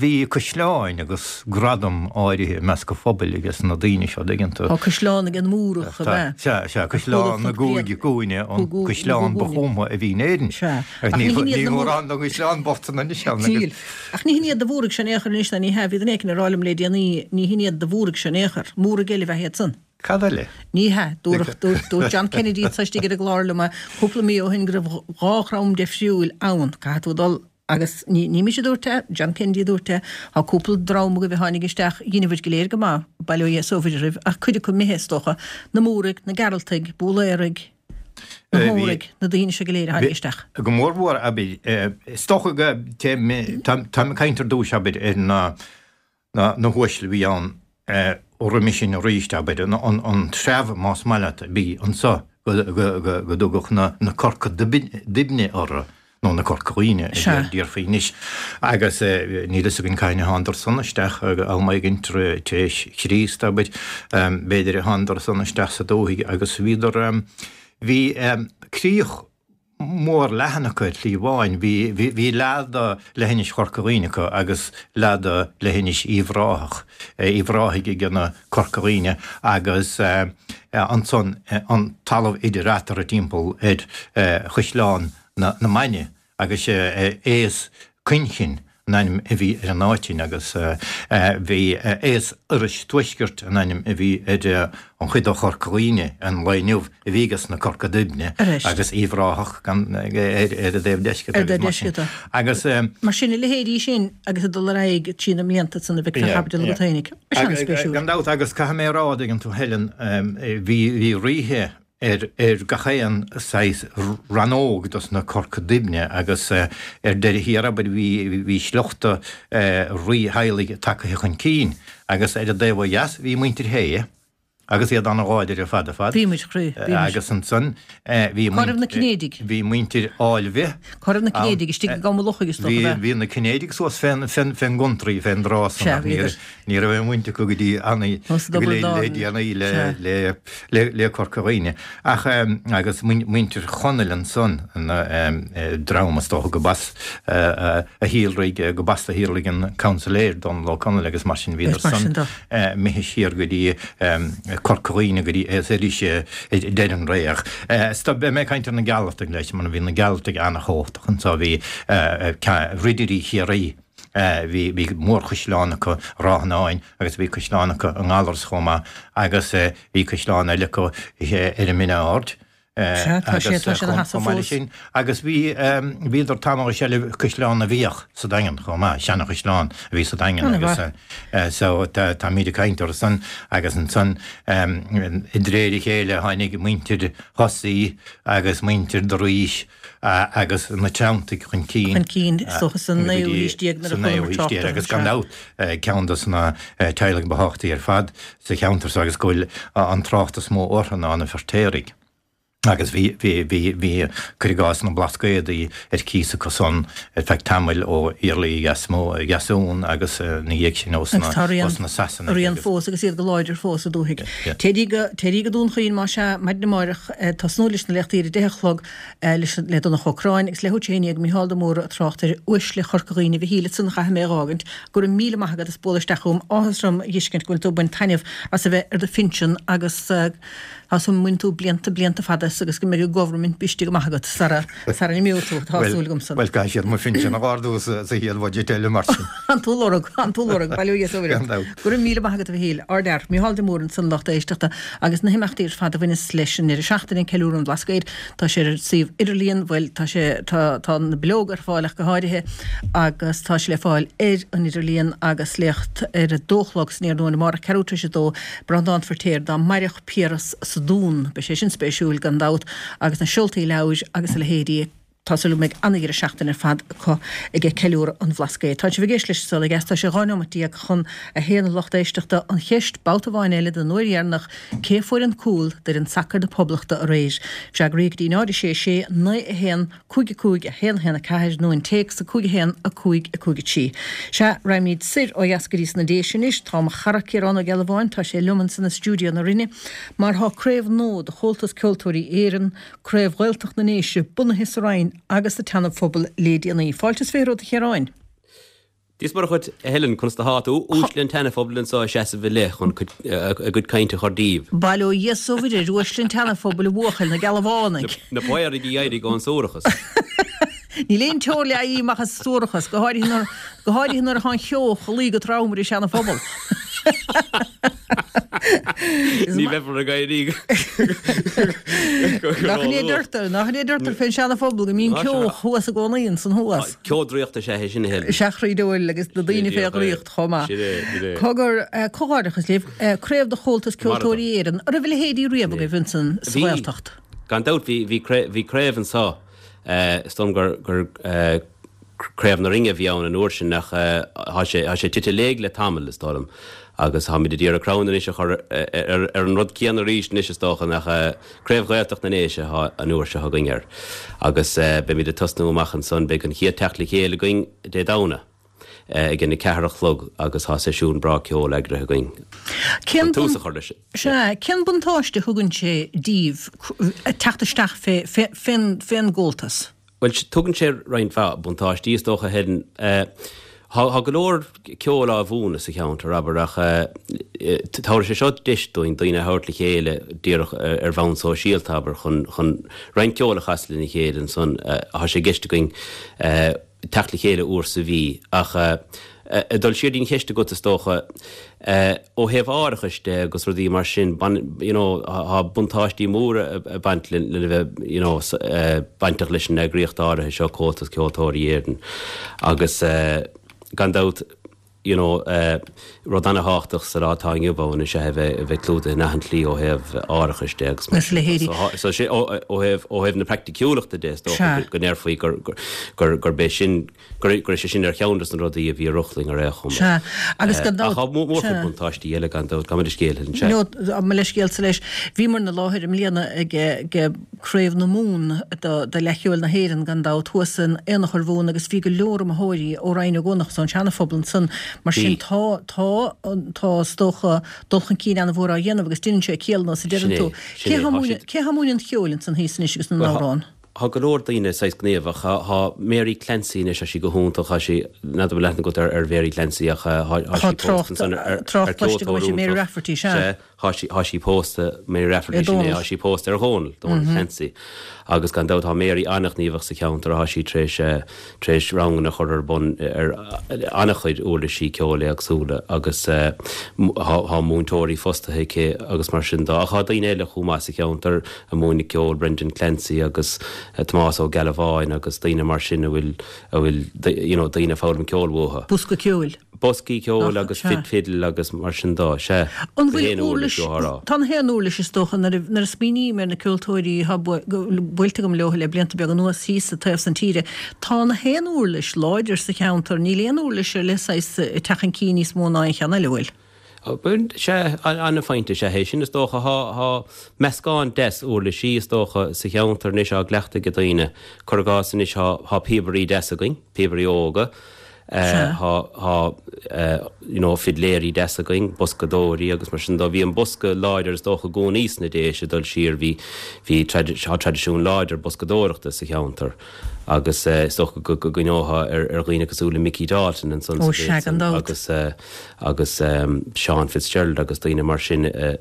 bhí caisleáin agus gradam áirithe i measc an phobail ages na daoine seo, dtuigeann tú. Tá caisleán ag an Múrach, ab ea? Sea, sea, caisleán na gCúig gCúinne, an caisleán ba chúmtha a bhí in Éirinn. Sea. Ach ní hin iad na mórán den gcaisleán bocht san anois ann agus. Ach ní hin iad do Mhúraigh seo in aon chor anois, ná ní hea, bhí duine éicint ag rá liom le déanaí, ní hin iad do Mhúraigh seo in aon chor. Múraigh eile ab ea iad san. Cad eile? Ní hea, dúradh, dúirt, dúirt John Kennedy anso istigh ar an gclár liom cúpla mí ó shin go raibh dhá dhream difriúil ann. Caithfidh tú dul agus ní, ní mise a dúirt é, John Kennedy a dúirt é, tá cúpla dream agaibh a tháinig isteach, dheineadh bhur go léir go maith, bail ó Dhia is ó Mhuire oraibh, ach cuid acu imithe, is dócha, na Múraigh, na Gearaltaigh, Búlaeraigh, Na hÓraigh, na daoine seo go léir a tháinig isteach. Go mór mhór, abair, is dócha go, táim ag caint ar dtúis, abair, ar na, na huaisle a bhí ann roimhe sin arís, abair, an treabh, más maith leat, a bhí anso go, go, go dtugadh na Corca Duibhne orthu. nó na Corca Dhuibhne a déarfaí anois, agus níl fhios againn cathain a thánadar san isteach, am éigin tar éis Chríost, abair, b'fhéidir a thánadar san isteach sa dúthaigh agus bhíodar, bhí críoch mór leathan acu ar shlí amháin, bhí, bhí leath de leithinis Chorca Dhuibhne acu agus leath de leithinis Uíbh Ráthach, Uíbh Ráthaigh ag na Corca Dhuibhne agus ansan an talamh idir eatarthu timpeall ar Chaisleán na Mainge agus Aos Coinchinn an ainm a bhí ar an áit sin agus bhí Aos Iorrais Tuaiscirt an ainm a bhí ar an chuid de Chorca Dhuibhne an lae inniu a bhí ages na Corca Duibhne agus Uíbh Ráthach ar an dtaobh deiscirt agus mar sin. Agus. Mar sin, a leithéidí sin agus ag dul ar aghaidh trí na mblianta san a bheidh fé chaibidil agat fhéinig. An-spéisiúil. Gan dabht agus caithfidh mé a rá, dtuigeann tú, Helen, bhí ríthe ar ar gach aon saghas rannóg dos na Corca Duibhne agus ar deireadh thiar, abair, bhí bhí sliochta rítheaghlaigh tagtha chun cinn agus ar an dtaobh ó dheas bhí muintir Shé agus iad an-láidir ar fad ar fad. Bhí muid, a chroí, bhí muid. Agus ansan bhí Cá raibh na Cinnéidigh? Bhí muintir Áilbhe. Cá raibh na Cinnéidigh istigh i gCom an Lochaigh is dócha, Bhí ab ea? bhí na Cinnéidigh suas fén fén fén gcontraí fén dtrá san Sea, ach ní bhíodar. ní raibh aon bhaint acu go dtí ana Os go Dubhar le le Dáin. déanaí le Sea. le le le Corca Dhuibhne. Ach agus muintir Chonaill ansan an dream is dócha go b'as a shíolraigh go b'as a shíolraigh an Councillor Dónal Ó Conaill agus mar sin bhíodar Is mar san sin de. imithe siar go dtí Corca Dhuibhne go dtí is arís deireadh an ré. Stop beidh mé ag caint ar na Gealtartaigh leis mar bhí na Gealtartaigh an-chumhachtach anso bhí Ridirí Chiarraí bhí bhí mórchaisleán acu Ráth an Áin agus bhí caisleán acu i nGallaras chomh maith agus bhí caisleán eile acu ar an Mine Ard. Sea, tá sé Agus tá sé ina chomh sheasamh chomh maith leis fós. sin agus bhí bhíodar tamall i seilbh Caisleán na bhFiach sa Daingean chomh maith, seanachaisleán a bhí sa Daingean agus An-mhaith. so tá táimid ag caint orthu san agus ansan i dréir a chéile tháinig muintir Thosaí agus muintir Drís agus na Treanntaigh chun cinn. Chun cinn, is dócha sa go naoú dtí haois déag nuair sa a naoú chualamar haois trácht déag orthu, agus gan sea. dabht ceann de na teaghlaigh ba thábhachtaí ar fad sa cheantar so agus go bhfuil an trácht is mó orthu ná na Feirtéaraigh. Agus bhí bhí bhí bhí cuir i gcás na Blascaodaí ar cíos acu san ar feadh tamaill ó Iarlaí Dheasmó Dheasún agus na dhiaidh sin ós Agus tá rian ós na Sasanaigh rian agus fós agus iad go láidir fós sa dúthaigh. Yeah. Téirí go téirí go Dún Chaoin má sea maidin amárach tosnú leis na léachtaí ar a deich a chlog leis le Donncha Ó Cráin agus leathuair tar éis a haon déag Mícheál de Mórdha ag trácht ar uaisle Chorca Dhuibhne Mhichíl ansan a chaithfidh mé a dh'fhágaint go raibh míle maith agat as bualadh isteach chugam áthas orm a dh'fheiscint go bhfuil tú ag baint taitneamh as a bheith ar do phinsean agus tá súil agam go mbainfidh tú blianta blianta fada as agus go mbeidh an government briste go maith agat sara sara n-imeoidh tú tá Well súil agamsa. well caithfidh siad mo phinsean a ardú sa sa chéad budget eile mar sin. An tú lorg an tú lorg bail ó Dhia is ó Mhuire. Gan dabht. Go raibh míle maith agat a Mhichíl Ardfhear Mícheál de Mórdha ansan lucht éisteachta agus na himeachtaí ar fad a bhaineas leis an deireadh seachtaine ceiliúradh an Bhlascaoid tá sé ar suíomh idirlíon bhuel tá sé tá tá na bileoga ar fáil ach go háirithe agus tá sé le fáil ar an idirlíon agus léacht ar a dó a chlog san iarnóin amárach ceathrú tar éis a dó Breandán Feirtéar dá mairfeadh Piaras sa Dún beidh sé sin spéisiúil gan dabht agus na seoltaí leabhair agus a leithéidí Tá súil go mbeidh an-deireadh seachtaine ar fad acu ag ceiliúradh an Bhlascaoid. Tá sibh ag éisteacht leis an Saol Ó Dheas tá sé dhá nóiméad déag chun a haon a lucht éisteachta an cheist babhta amháin eile don uair dheireanach cé a fuair an cúl d'fhoireann sacair na Poblachta aréir. Freagraí go dtí náid a sé sé naoi a haon cúig a cúig a haon a haon a ceathair nó an téacs a cúig a haon a cúig a cúig a trí. Sea, raghaimid soir ó dheas go dtí sna Déise anois, tá mo chara Ciarán Ó Gealbháin, tá sé liom ansan i stiúideo na Rinne, mar tá craobh nua de Chomhaltas Ceoltóirí Éireann, Craobh Ghaeltacht na nDéise, bunaithe sa Rinn agus sa tSeana-Phobal le déanaí. Fáilte is fiche romhat a Chiaráin. Dia is Muire dhuit a Helen conas atá tú uaisle an tSeana-Phobail anseo ag seasamh i leith chun a gcuid cainte a chur díobh. Bail ó Dhia is ó Mhuire ar uaisle an tSeana-Phobail a bhuachaill na Gealbhánaigh. Na Paoraigh a d'éirigh ón suarachas. Níl aon teoir le éirí amach as suarachas, go háirithe nuair go háirithe nuair atá an cheo ag luí go trom ar an Seana-Phobal. Ní bheifear ag éirí Nach ní deirtear, nach ní deirtear fén Seana-Phobal go mbíonn ceo thuas i gcónaí ansan thuas. Ceo draíochta is ea é sin a Helen. Sea a chroí diabhail agus na daoine fé dhraíocht chomh maith. Cogar comhghairdeachas libh, craobh de Chomhaltas Ceoltóirí Éireann, an raibh a leithéidí riamh agaibh ansan sa Ghaeltacht? Gan dabht bhí craobh anseo. Is dóigh liom gur gur Craobh na Rinne a bhí ann an uair sin ach tá sé tá sé tite i léig le tamall is dóigh liom agus táimid ag iarraidh crann anois a chur ar ar an rud céanna arís anois is dócha nach Craobh Ghaeltacht na nDéise atá an uair seo againn air agus beimid ag tosnú amach ansan beidh an chéad teacht le chéile againn Dé Domhnaigh ag an a ceathair a chlog agus tá seisiún breá ceoil eagraithe againn Cén chun tús a chur leis. Sea, cén buntáiste a thugann sé díbh teacht isteach fé fén fén gComhaltas? Bhuel, tugann sé roinnt mhaith buntáistí is dócha, a Helen. Tá go leor ceoil á mhúineadh sa cheantar, abair, ach tabharfaidh sé seo deis dúinn daoine a thabhairt le chéile díreach ar bhonn sóisialta, abair, chun chun roinnt ceoil a chasadh lena chéile ansan. Tá sé i gceist againn teacht le chéile uair sa mhí. Ach ag dul siar dtí'n cheist agat, is dócha, ó thaobh árachais de agus rudaí mar sin, you know, tá buntáistí móra ag baint lena bheith, you know, bainteach leis an eagraíocht áirithe seo, Comhaltas Ceoltóirí Éireann. Agus gan dabht, you know, uh, rud an-thábhachtach sa lá atá inniu ann is ea a bheith a bheith clúdaithe in achan tslí ó thaobh árachais de agus mar Is sin de. leithéidí. So, thá- so sé ó ó thaobh ó thaobh na praiticiúlachta de is dócha Sea. go go ndéarfaí gur gur gur gurb é sin gur gur é sé sin ar cheann des na rudaí a bhí ar rochlainn ar aon chuma. Sea. Agus Eh, gan dabht- ach tá mó- mórchuid Sea. buntáistí eile gan dabht, gabh mo leithscéal Helen, sea. No, mo leithscéal sa leis. Bhíomar ina láthair i mbliana ag ag Craobh na Mumhan do do Fhleadh Cheoil na hÉireann gan dabht thuas in Aonach Urmhumhan agus bhí go leor iomaitheoirí ó Rinn Ó gCuanach is ón Seana-Phobal ansan. Mar sin Bhí. tá tá tá is dócha dul chun cinn an-mhór á dhéanamh agus déanann sé ciall nós a deireann Sin é, tú. sin Cé é, há tá múineadh siad- cé há múineadh an cheoil ansan thíos anois agus na Bhuel, thá- n-amhrán? Tá go leor daoine saghas gníomhach, tá tá Mary Clancy anois tá sí go hiontach, tá sí n'fheadar an bhfuil aithne agat ar ar Mary Clancy ach tá tá Tá sí pósta trácht ansan ar ar trácht ar cloiste go ceoltóir bhfuil sí Mary iontach. Rafferty, sea. Sea, tá sí tá sí pósta Mary Rafferty Ar sin é, Dónal. tá sí pósta ar Dhónal, Dónal Clancy. Agus gan dabht tá Mary an-ghníomhach sa cheantar, tá sí tar éis eh, tar éis ranganna a chur ar bun ar an-chuid uirlisí ceoil éagsúla agus eh, m- tá tá múinteoirí fostaithe aici agus mar sin de. Ach tá daoine eile chomh maith sa cheantar a múineann ceol Brendan Clancy agus eh, Tomás Ó Gealbháin agus daoine mar sin a bhfuil a bhfuil you know, daoine foghlaim ceol uathu. Bosca ceoil. Boscaí ceoil Nach, agus sea. fid fiddle agus mar sin de, sea. An Go bhfuil haon uirlis uirlis ó thá. Tá na haon uirlis is dócha nuair a nuair a smaoiním ar na ceoltóirí atá buailte agam leo le blianta beaga anuas thíos sa taobh san tíre. Tá na haon uirlis láidir sa cheantar, níl aon uirlis ar leith saghas ag teacht chun cinn níos mó ná an cheann eile bhfuil. Sea, an-phointe sea é sin is dócha thá thá meascán deas uirlisí is dócha sa cheantar anois á gcleachtadh ag daoine. Cuir i gcás anois thá thá píobairí deasa againn, píobairí óga, Sea. Thá thá you know, fidléirí deasa againn, boscadóirí agus mar sin de bhí an bosca láidir is dócha i gcónaí sna Déise dul siar bhí bhí tradi- thá traidisiún láidir boscadóireachta sa cheantar. Agus eh, is dócha go go gcuimhneofá ar ar dhaoine cosúil le Mickey Dalton ansan Ó, sa sea, mhéid gan san, dabht. agus eh, agus um, Sean Fitzgerald agus daoine mar sin eh,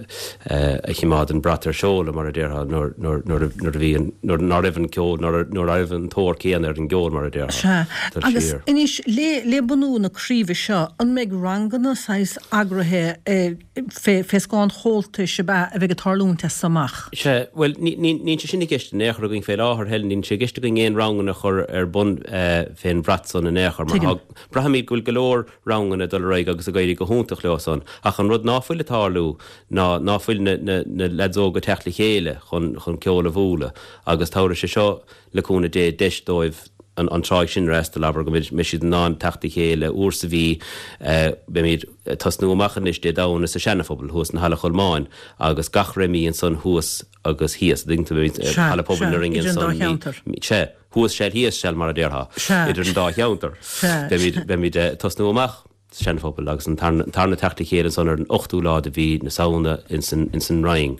eh, a choimeád an brat ar seoladh mar a déarfá nuair nuair nuair a- nuair a bhí an- nuair ná raibh an ceol nuair nuair a raibh an tóir céanna ar an gceol mar a déarfá. Sea, Dul agus siar. anois le le bunú na craoibhe seo, an mbeidh ranganna saghas eagraithe eh, fé fé scáth an Chomhaltais ab ea a bheidh ag tarlúint as amach? Sea, bhuel ní ní níl sé sin i gceist in aon chor againn fé láthair Helen, níl sé i gceist againn aon ranganna a chur ar bun eh, fén bhrat san in aon chor mar Tuigim. thá- braithimid go bhfuil go leor ranganna dul ar aghaidh agus ag éirí go hiontach leo san. Ach an rud ná fuil ag tarlú ná ná fuil na, na, na lads óga ag teacht le chéile chun, chun ceol a bhualadh agus tabharfaidh sé seo le cúnamh Dé deis dóibh an, an tráigh sin rest a leabhar go mbeidh siad in ann teacht le chéile uair sa mhí eh, beimid tosnú amach anois Dé Domhnaigh sa Seana-Phobal thuas na Halla Cholmáin agus gach re mí ansan thuas agus thíos ding tú Sea, Halla Pobail sea, na Rinne idir an dá san cheantar. Sea, thuas seal thíos seal mar a déarfá Sea. idir an dá cheantar. Sea. Beimid beimid eh, tosnú amach sa Seana-Phobal agus an tarna tarna teacht le chéile ansan ar an ochtú lá de mhí na Samhna insan insan Rinn.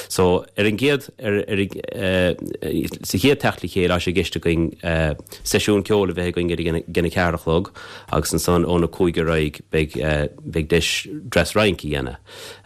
So ar an gcéad ar ar eh, sa chéad teacht le chéile tá sé i gceist againn eh, seisiún ceoil a bheith againn ag an a ceathair a chlog agus ansan óna cúig ar aghaidh beidh eh, beidh deis dreas rince a dhéanamh.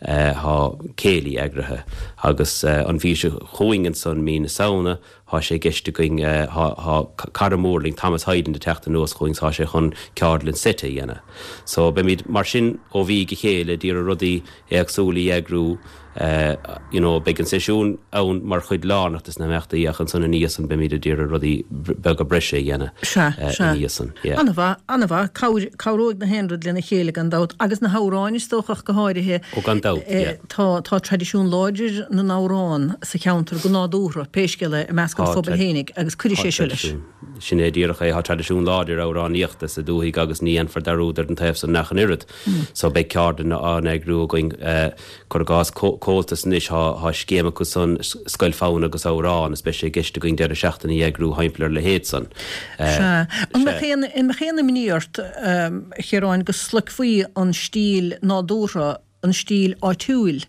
Eh, Thá céilí eagraithe agus eh, an mhí seo chugainn ansan mí na Samhna thá sé i gceist againn eh, thá thá cara mór linn Thomas Hayden ag teacht anuas chugainn tá sé chun ceardlann seite a dhéanamh. So beimid mar sin ó mhí go chéile d'iarraidh rudaí éagsúla a eagrú uh, you know, beidh an seisiún ann mar chuid lárnach des na himeachtaí ach ansan ina dhiaidh san beimid d'iarraidh rudaí beaga breise a dhéanamh Sea, eh, sea. ina dhiaidh san. Yeah. An-mhaith, an-mhaith, cabhair- cabhróidh na haon rud lena chéile gan dabht agus na hamhráin is dócha go háirithe. Ó gan dabht, eh, yeah. Tá tá traidisiún láidir na n-amhrán sa cheantar go nádúrtha pé scéal é i measc an Tá phobail tra- fhéinig agus cuirfidh sé seo leis. Sin é díreach é thá traidisiún láidir amhránaíochta sa dúthaigh agus ní dhéanfar dearúd ar an taobh san nach an oiread. So beidh ceardlanna á n-eagrú againn eh, cuir i gcás Comhaltas anois thá thá scéim acu san scoil fonn agus amhrán is beidh sé i gceist againn deireadh seachtaine a eagrú thimpeall ar a leithéid san. Eh, Sea. An sea. mbeadh aon an mbeadh aon imní ort um, Chiaráin go sloigfí an stíl nádúrtha an stíl áitiúil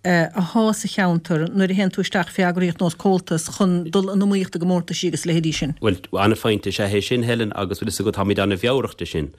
eh, atá sa cheantar nuair a théann tú isteach fé eagraíocht nós Comhaltas chun dul in iomaíocht i gcomórtaisí agus leithéidí sin. Well an-phointe is ea é sin Helen agus bhfuil go táimid an-mheabhrach de sin.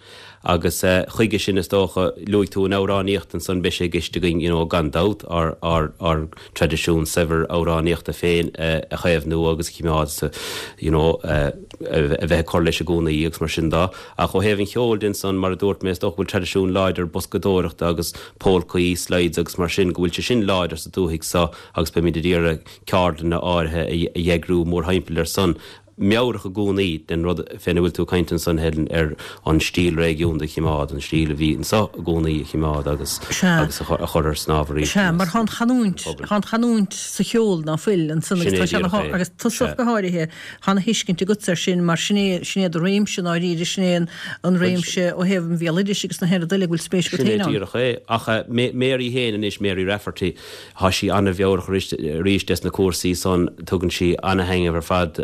Agus uh, chuige sin is dócha luaigh tú an amhránaíocht ansan beidh sé i gceist againn you know, gan dabht ár ár ár traidisiún saibhir amhránaíochta féin uh, a chaomhnú agus cimeád sa you know, uh, a bheith cur leis i gcónaí agus mar sin de. Ach ó thaobh an cheoil de ansan mar a dúirt mé is dócha bhfuil traidisiún láidir boscadóireachta agus polcaí, slides agus mar sin go bhfuil sé sin láidir sa dúthaigh so agus beimid ag iarraidh ceardlanna áirithe a a eagrú mórthimpeall ar san meabhrach i gcónaí den rud féna bhfuil tú ag caint ansan Helen ar an stíl réigiúnda a chimeád, an stíl a bhí anso i gcónaí a chimeád agus agus a chur ar snámh arís. Sea, mar tá an chanúint, tá an chanúint sa cheol ná fuil ansan agus tá sé ina agus tusa go háirithe, tá ana thuiscint agatsa air sin mar sin é, sin é do réimse i ndáiríre, sin é an réimse ó thaobh an bhéaloidis agus na haon rud eile go bhfuil spéis agat Sin é féin ann. díreach é. Ach Mary féin anois, Mary Rafferty, tá sí ana-mheabhrach arís des na cúrsaí san, tugann sí ana-thaitneamh ar fad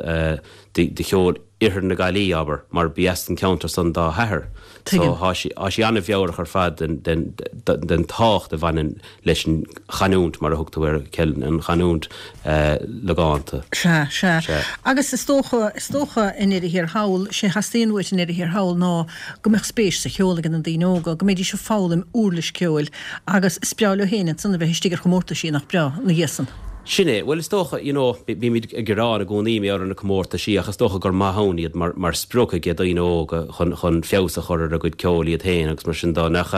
de cheol Oirthear na Gaillimhe, abair, mar b'í as an ceantar san dá hathair. So Tuigim. thá sí, thá sí ana-mheabhrach ar fad den, den, den tábhacht a bhaineann leis an chanúint, mar a thug tú air, Helen, an chanúint logánta. Sea, sea. Sea. Agus is dócha, is dócha i ndeireadh thiar thall, sé a theastaíonn uait i ndeireadh thiar thall ná go mbeadh spéis sa cheol ag na daoine óga, go mbeidís ag foghlaim uirlis ceoil agus is breá leo féin ansan a bheith istigh ar chomórtaisí, nach breá, ina dhiaidh san. Sin é. Bhuel, is dócha, you know, bímid ag gearán i gcónaí mar gheall ar na comórtaisí ach is dócha gur maith ann iad mar, mar sprioc ag daoine óga chun, chun feabhas a chur ar a gcuid ceoil iad féin agus mar sin dó. Nach,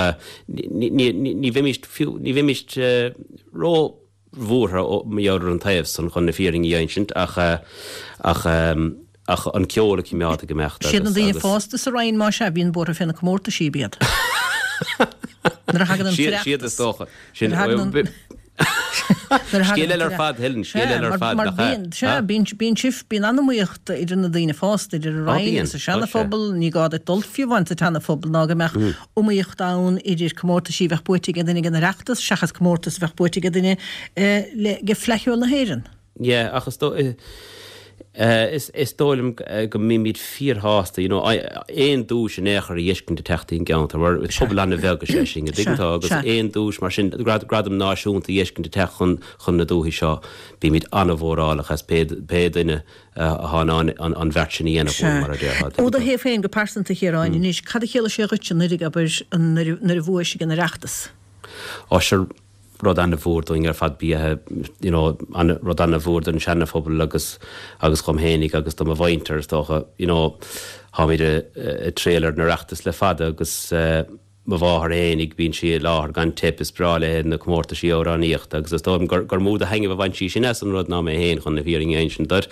ní, ní, ní bheimíst fiú, ní bheimíst ró bhuartha mar gheall ar an taobh san chun na fírinne a insint ach, ach, ach an ceol a choimeád ag imeacht Siad na agus, daoine agus. fásta sa Roinn má sea a bhíonn buartha fé na comórtaisí, ab iad. Nuair a thagann an Siad, siad is tOireachtas. dócha. Sin, Nuair a thagann an. Nuair a thagann Scéal an eile ar fad, Helen, scéal Sea, eile ar mar, fad, mar nach ea? bíonn, sea, bíonn, bíonn sibh, bíonn an-iomaíocht idir na daoine fásta, idir an Á, Roinn bíonn, agus an tá sé. seanaphobal, ní gá duit dul fiú amháin sa tseanaphobal ná go mbeadh iomaíocht ann idir comórtaisí a bheadh buaite ag duine ag an Oireachtas seachas comórtas a bheadh buaite ag duine eh, le, ag Fleadh Cheoil na hÉireann. Yeah, ach is dó, eh, is, is dóigh liom go mbímid fíorshásta, you know, aon duais in aon chor a fheiscint ag teacht ón gceantar, mar pobal an-bheag is ea sinn, an dtuigeann tú, agus aon duais mar sin, grad, gradam náisiúnta a fheiscint ag teacht chun, chun na dúiche seo, bímid an-mhórálach as pé, pé duine atá in ann an, an bheart sin a dhéanamh Sea. mar a déarfá, Ó dtuigeann do tú. thaobh féin go pearsanta, a Chiaráin, anois, cad a chiallaigh sé dhuit anuraidh, abair, nuair, nuair a bhuaigh sibh an Oireachtas? Ó, sure, rud an-mhór dúinn ar fad ba ea, you know, an, rud an-mhór don seanaphobal agus agus dhom fhéinig agus do mo mhuintir is dócha, you know, tháimid ag triall ar an Oireachtas le fada agus uh, mo mháthair fhéinig bíonn sí i láthair gan teip is breá léi na comórtaisí amhránaíochta agus is dóigh liom gur, gur mó de thaitneamh a bhain sí sin as an rud ná mé féin chun na fírinne a insint duit.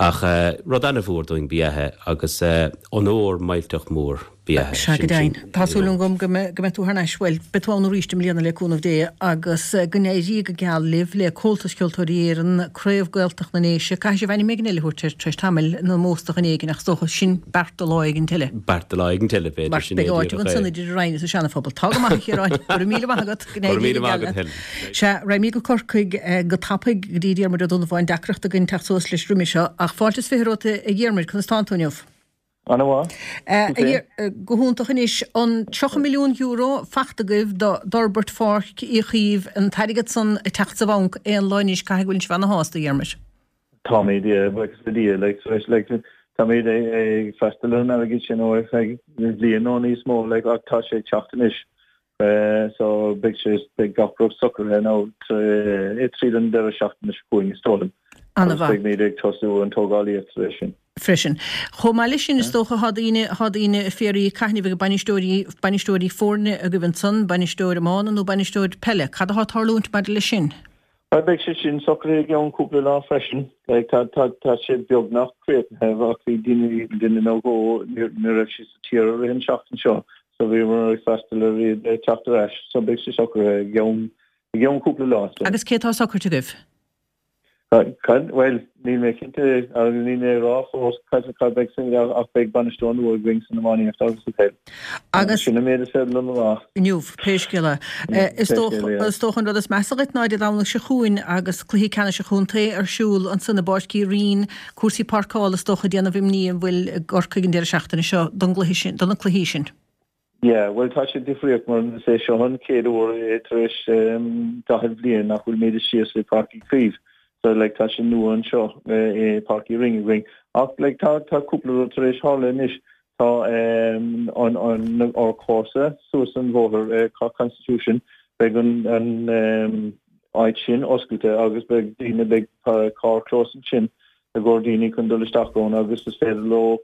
Ach uh, rud an-mhór dúinn ba ea agus uh, onóir millteach mór ba ea Sea, go sin deimhin. sin, Tá you súil know. agam go mbe- go mbeidh tú thar n-ais, bhuel, beidh tú ann arís i mbliana le cúnamh Dé agus eh, go n-éirí go geal libh le Comhaltas Ceoltóirí Éireann, Craobh Gaeltacht na nDéise, caithfidh sibh ainm éigin eile a thabhairt air tar éis tamaill nó óstach in éigin ach is dócha sin beart do lá éigin eile. Beart do lá éigin eile b'fhéidir Mar sin é beidh áit díreach ansan é. idir an Roinn is an seanaphobal. Tá go maith a Chiaráin, go raibh míle maith agat, go Go raibh n-éirí míle go maith geal agat, leat. Helen. Sea, raghaimid go Corcaigh eh, go tapaidh go dtí Diarmuid Ó Donnabháin deacracht againn teacht suas leis roimhe seo, ach fáilte is fiche romhat a Dhiarmuid, conas tánn tú inniu? An-mhaith. Eh, Tú féin? eh, Go hiontach anois an tríocha milliún euro faighte agaibh d'fhorbairt Pháirc Uí Chaoimh an t-airgead san ag teacht sa bhanc aon lá anois caithfidh go bhfuil sibh ana-shásta a Dhiarmuid. Táimid buíochas le Dia like so like táimid ag freastal ar an airgead sin ó ar feadh bliain nó níos mó like ach tá sé ag teacht anois. Uh, so beidh sé beidh gach rud socraithe nó tríd an deireadh seachtaine seo chugainn is dóigh liom. Agus An-mhaith. beidh muid ag tosú an tógálaíocht leis sin. Freisin. Chomh maith leis sin is dócha tá daoine tá daoine ag fiafraí cathain a bheidh bainisteoirí bainisteoirí foirne agaibh ansan, bainisteoir iomána nó bainisteoir peile. Cad atá ag tarlúint maidir leis sin? Well, beidh sé sin socraithe i gceann cúpla lá freisin. Like, tá tá tá sé beagnach críochnaithe ach bhí daoine duine nó dhó ní ní raibh sí sa tír i rith an seachtain seo, so bhíomar ag freastal ar iad ag teacht ar ais, so beidh sé socraithe i gceann i gceann cúpla lá. So. Agus cé tá socraithe agaibh? Cad well níl mé cinnte agus níl mé rá fós cad cad beidh sin ach beidh bainisteoir nua againn san iománaíocht agus sa pheil. Agus sin an méid is féidir liom a rá. Inniu, pé scéal é. Eh, Is Pé dócha scéal é, yeah. is dócha an rud is measa dhuit ná Dé Domhnaigh seo chugainn agus cluiche ceannais an chontae ar siúl ansan i bPáirc Uí Rinn, cúrsaí páirceála is dócha déanamh imní an bhfuil i gCorcaigh an deireadh seachtaine seo don gcluiche sin, do na cluichí sin. Yeah, well tá sé difríocht mar is é seo an chéad uair é tar éis um, daichead bliain nach bhfuil muid síos i Páirc Uí Chaoimh. So like tá sé nua anseo eh, i Páirc Uí Rinn againn. Ach like tá tá cúpla rud tar éis tharla anois. Tá um, an an ár comharsa suas an bhóthar eh, Cork Constitution beidh an an um, áit sin oscailte agus beidh daoine beidh carrchlós ansin i gcomhair daoine chun dul isteach ann agus is féidir leo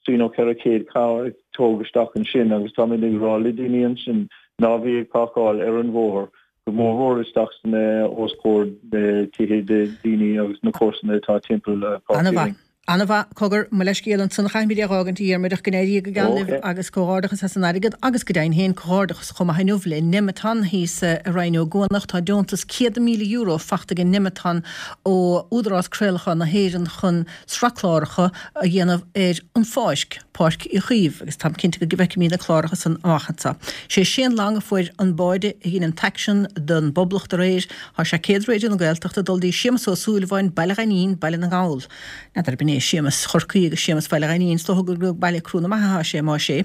trí nó ceithre chéad carr ag tóg isteach ansin agus táimid ag rá le daoine ansin ná bí ag páirceáil ar an bhóthar go mórmhór isteach san eh, os comhair eh, tithe de daoine agus na comharsana atá timpeall eh, Páirc Uí An-mhaith. Rinn. An-mhaith, cogar, mo leithscéal ansan, chaithfimid é a dh'fhágaint, a Dhiarmuid, ach go n-éirí go geal libh agus comhghairdeachas as an airgead agus go deimhin féin comhghairdeachas chomh maith inniu le Nemeton thíos i Rinn Ó gCuanach. Tá deontas céad míle euro fachta ag Nemeton ó Údarás Craolacháin na hÉireann chun sraith cláracha a dhéanamh ar an Pháisc, Páirc Uí Chaoimh, agus táim cinnte go bhfeicfimid na cláracha san amach anseo. Sé Shane Long a fuair an báide a dhein an t-aicsean don bPoblacht aréir. Tá sé céad Raidió na Gaeltachta ag dul dtí Séamus Ó Súilleabháin, Baile Ghainín, Baile na nGall. N'fheadar ab in é Séamus Chorcaí agus Séamus Bhaile Ghainín, is dócha gur go Baile Crú na Maithe atá sé, más ea.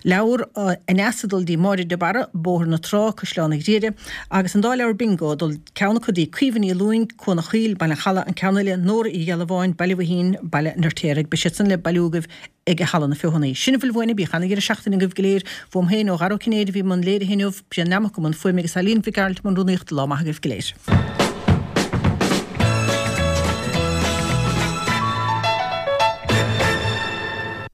Leabhar Aneas ag dul dtí Máire de Barra, Bóthar na Trá, Caisleán an Ghriaire, agus an dá leabhar Bingo ag dul ceann acu dtí Caoimhe Ní Lúing, Cuan an Chaoil, Baile an Chalaidh, an ceann eile, Nóra Uí Ghealbháin, Baile Mhuirthín, Baile an Fheirtéaraigh. Beidh siad san le bailiú agaibh ag Halla na Feothanaí. Sin a bhfuil uainne, bíodh ana-dheireadh seachtaine agaibh go léir. Uaim féin, ó Dhara Ó Cinnéide a bhí i mbun léirithe inniu, Brian Nammock i mbun fuaime agus Eileen Mhic Gearailt i mbun rúnaíochta. Lá maith agaibh go léir.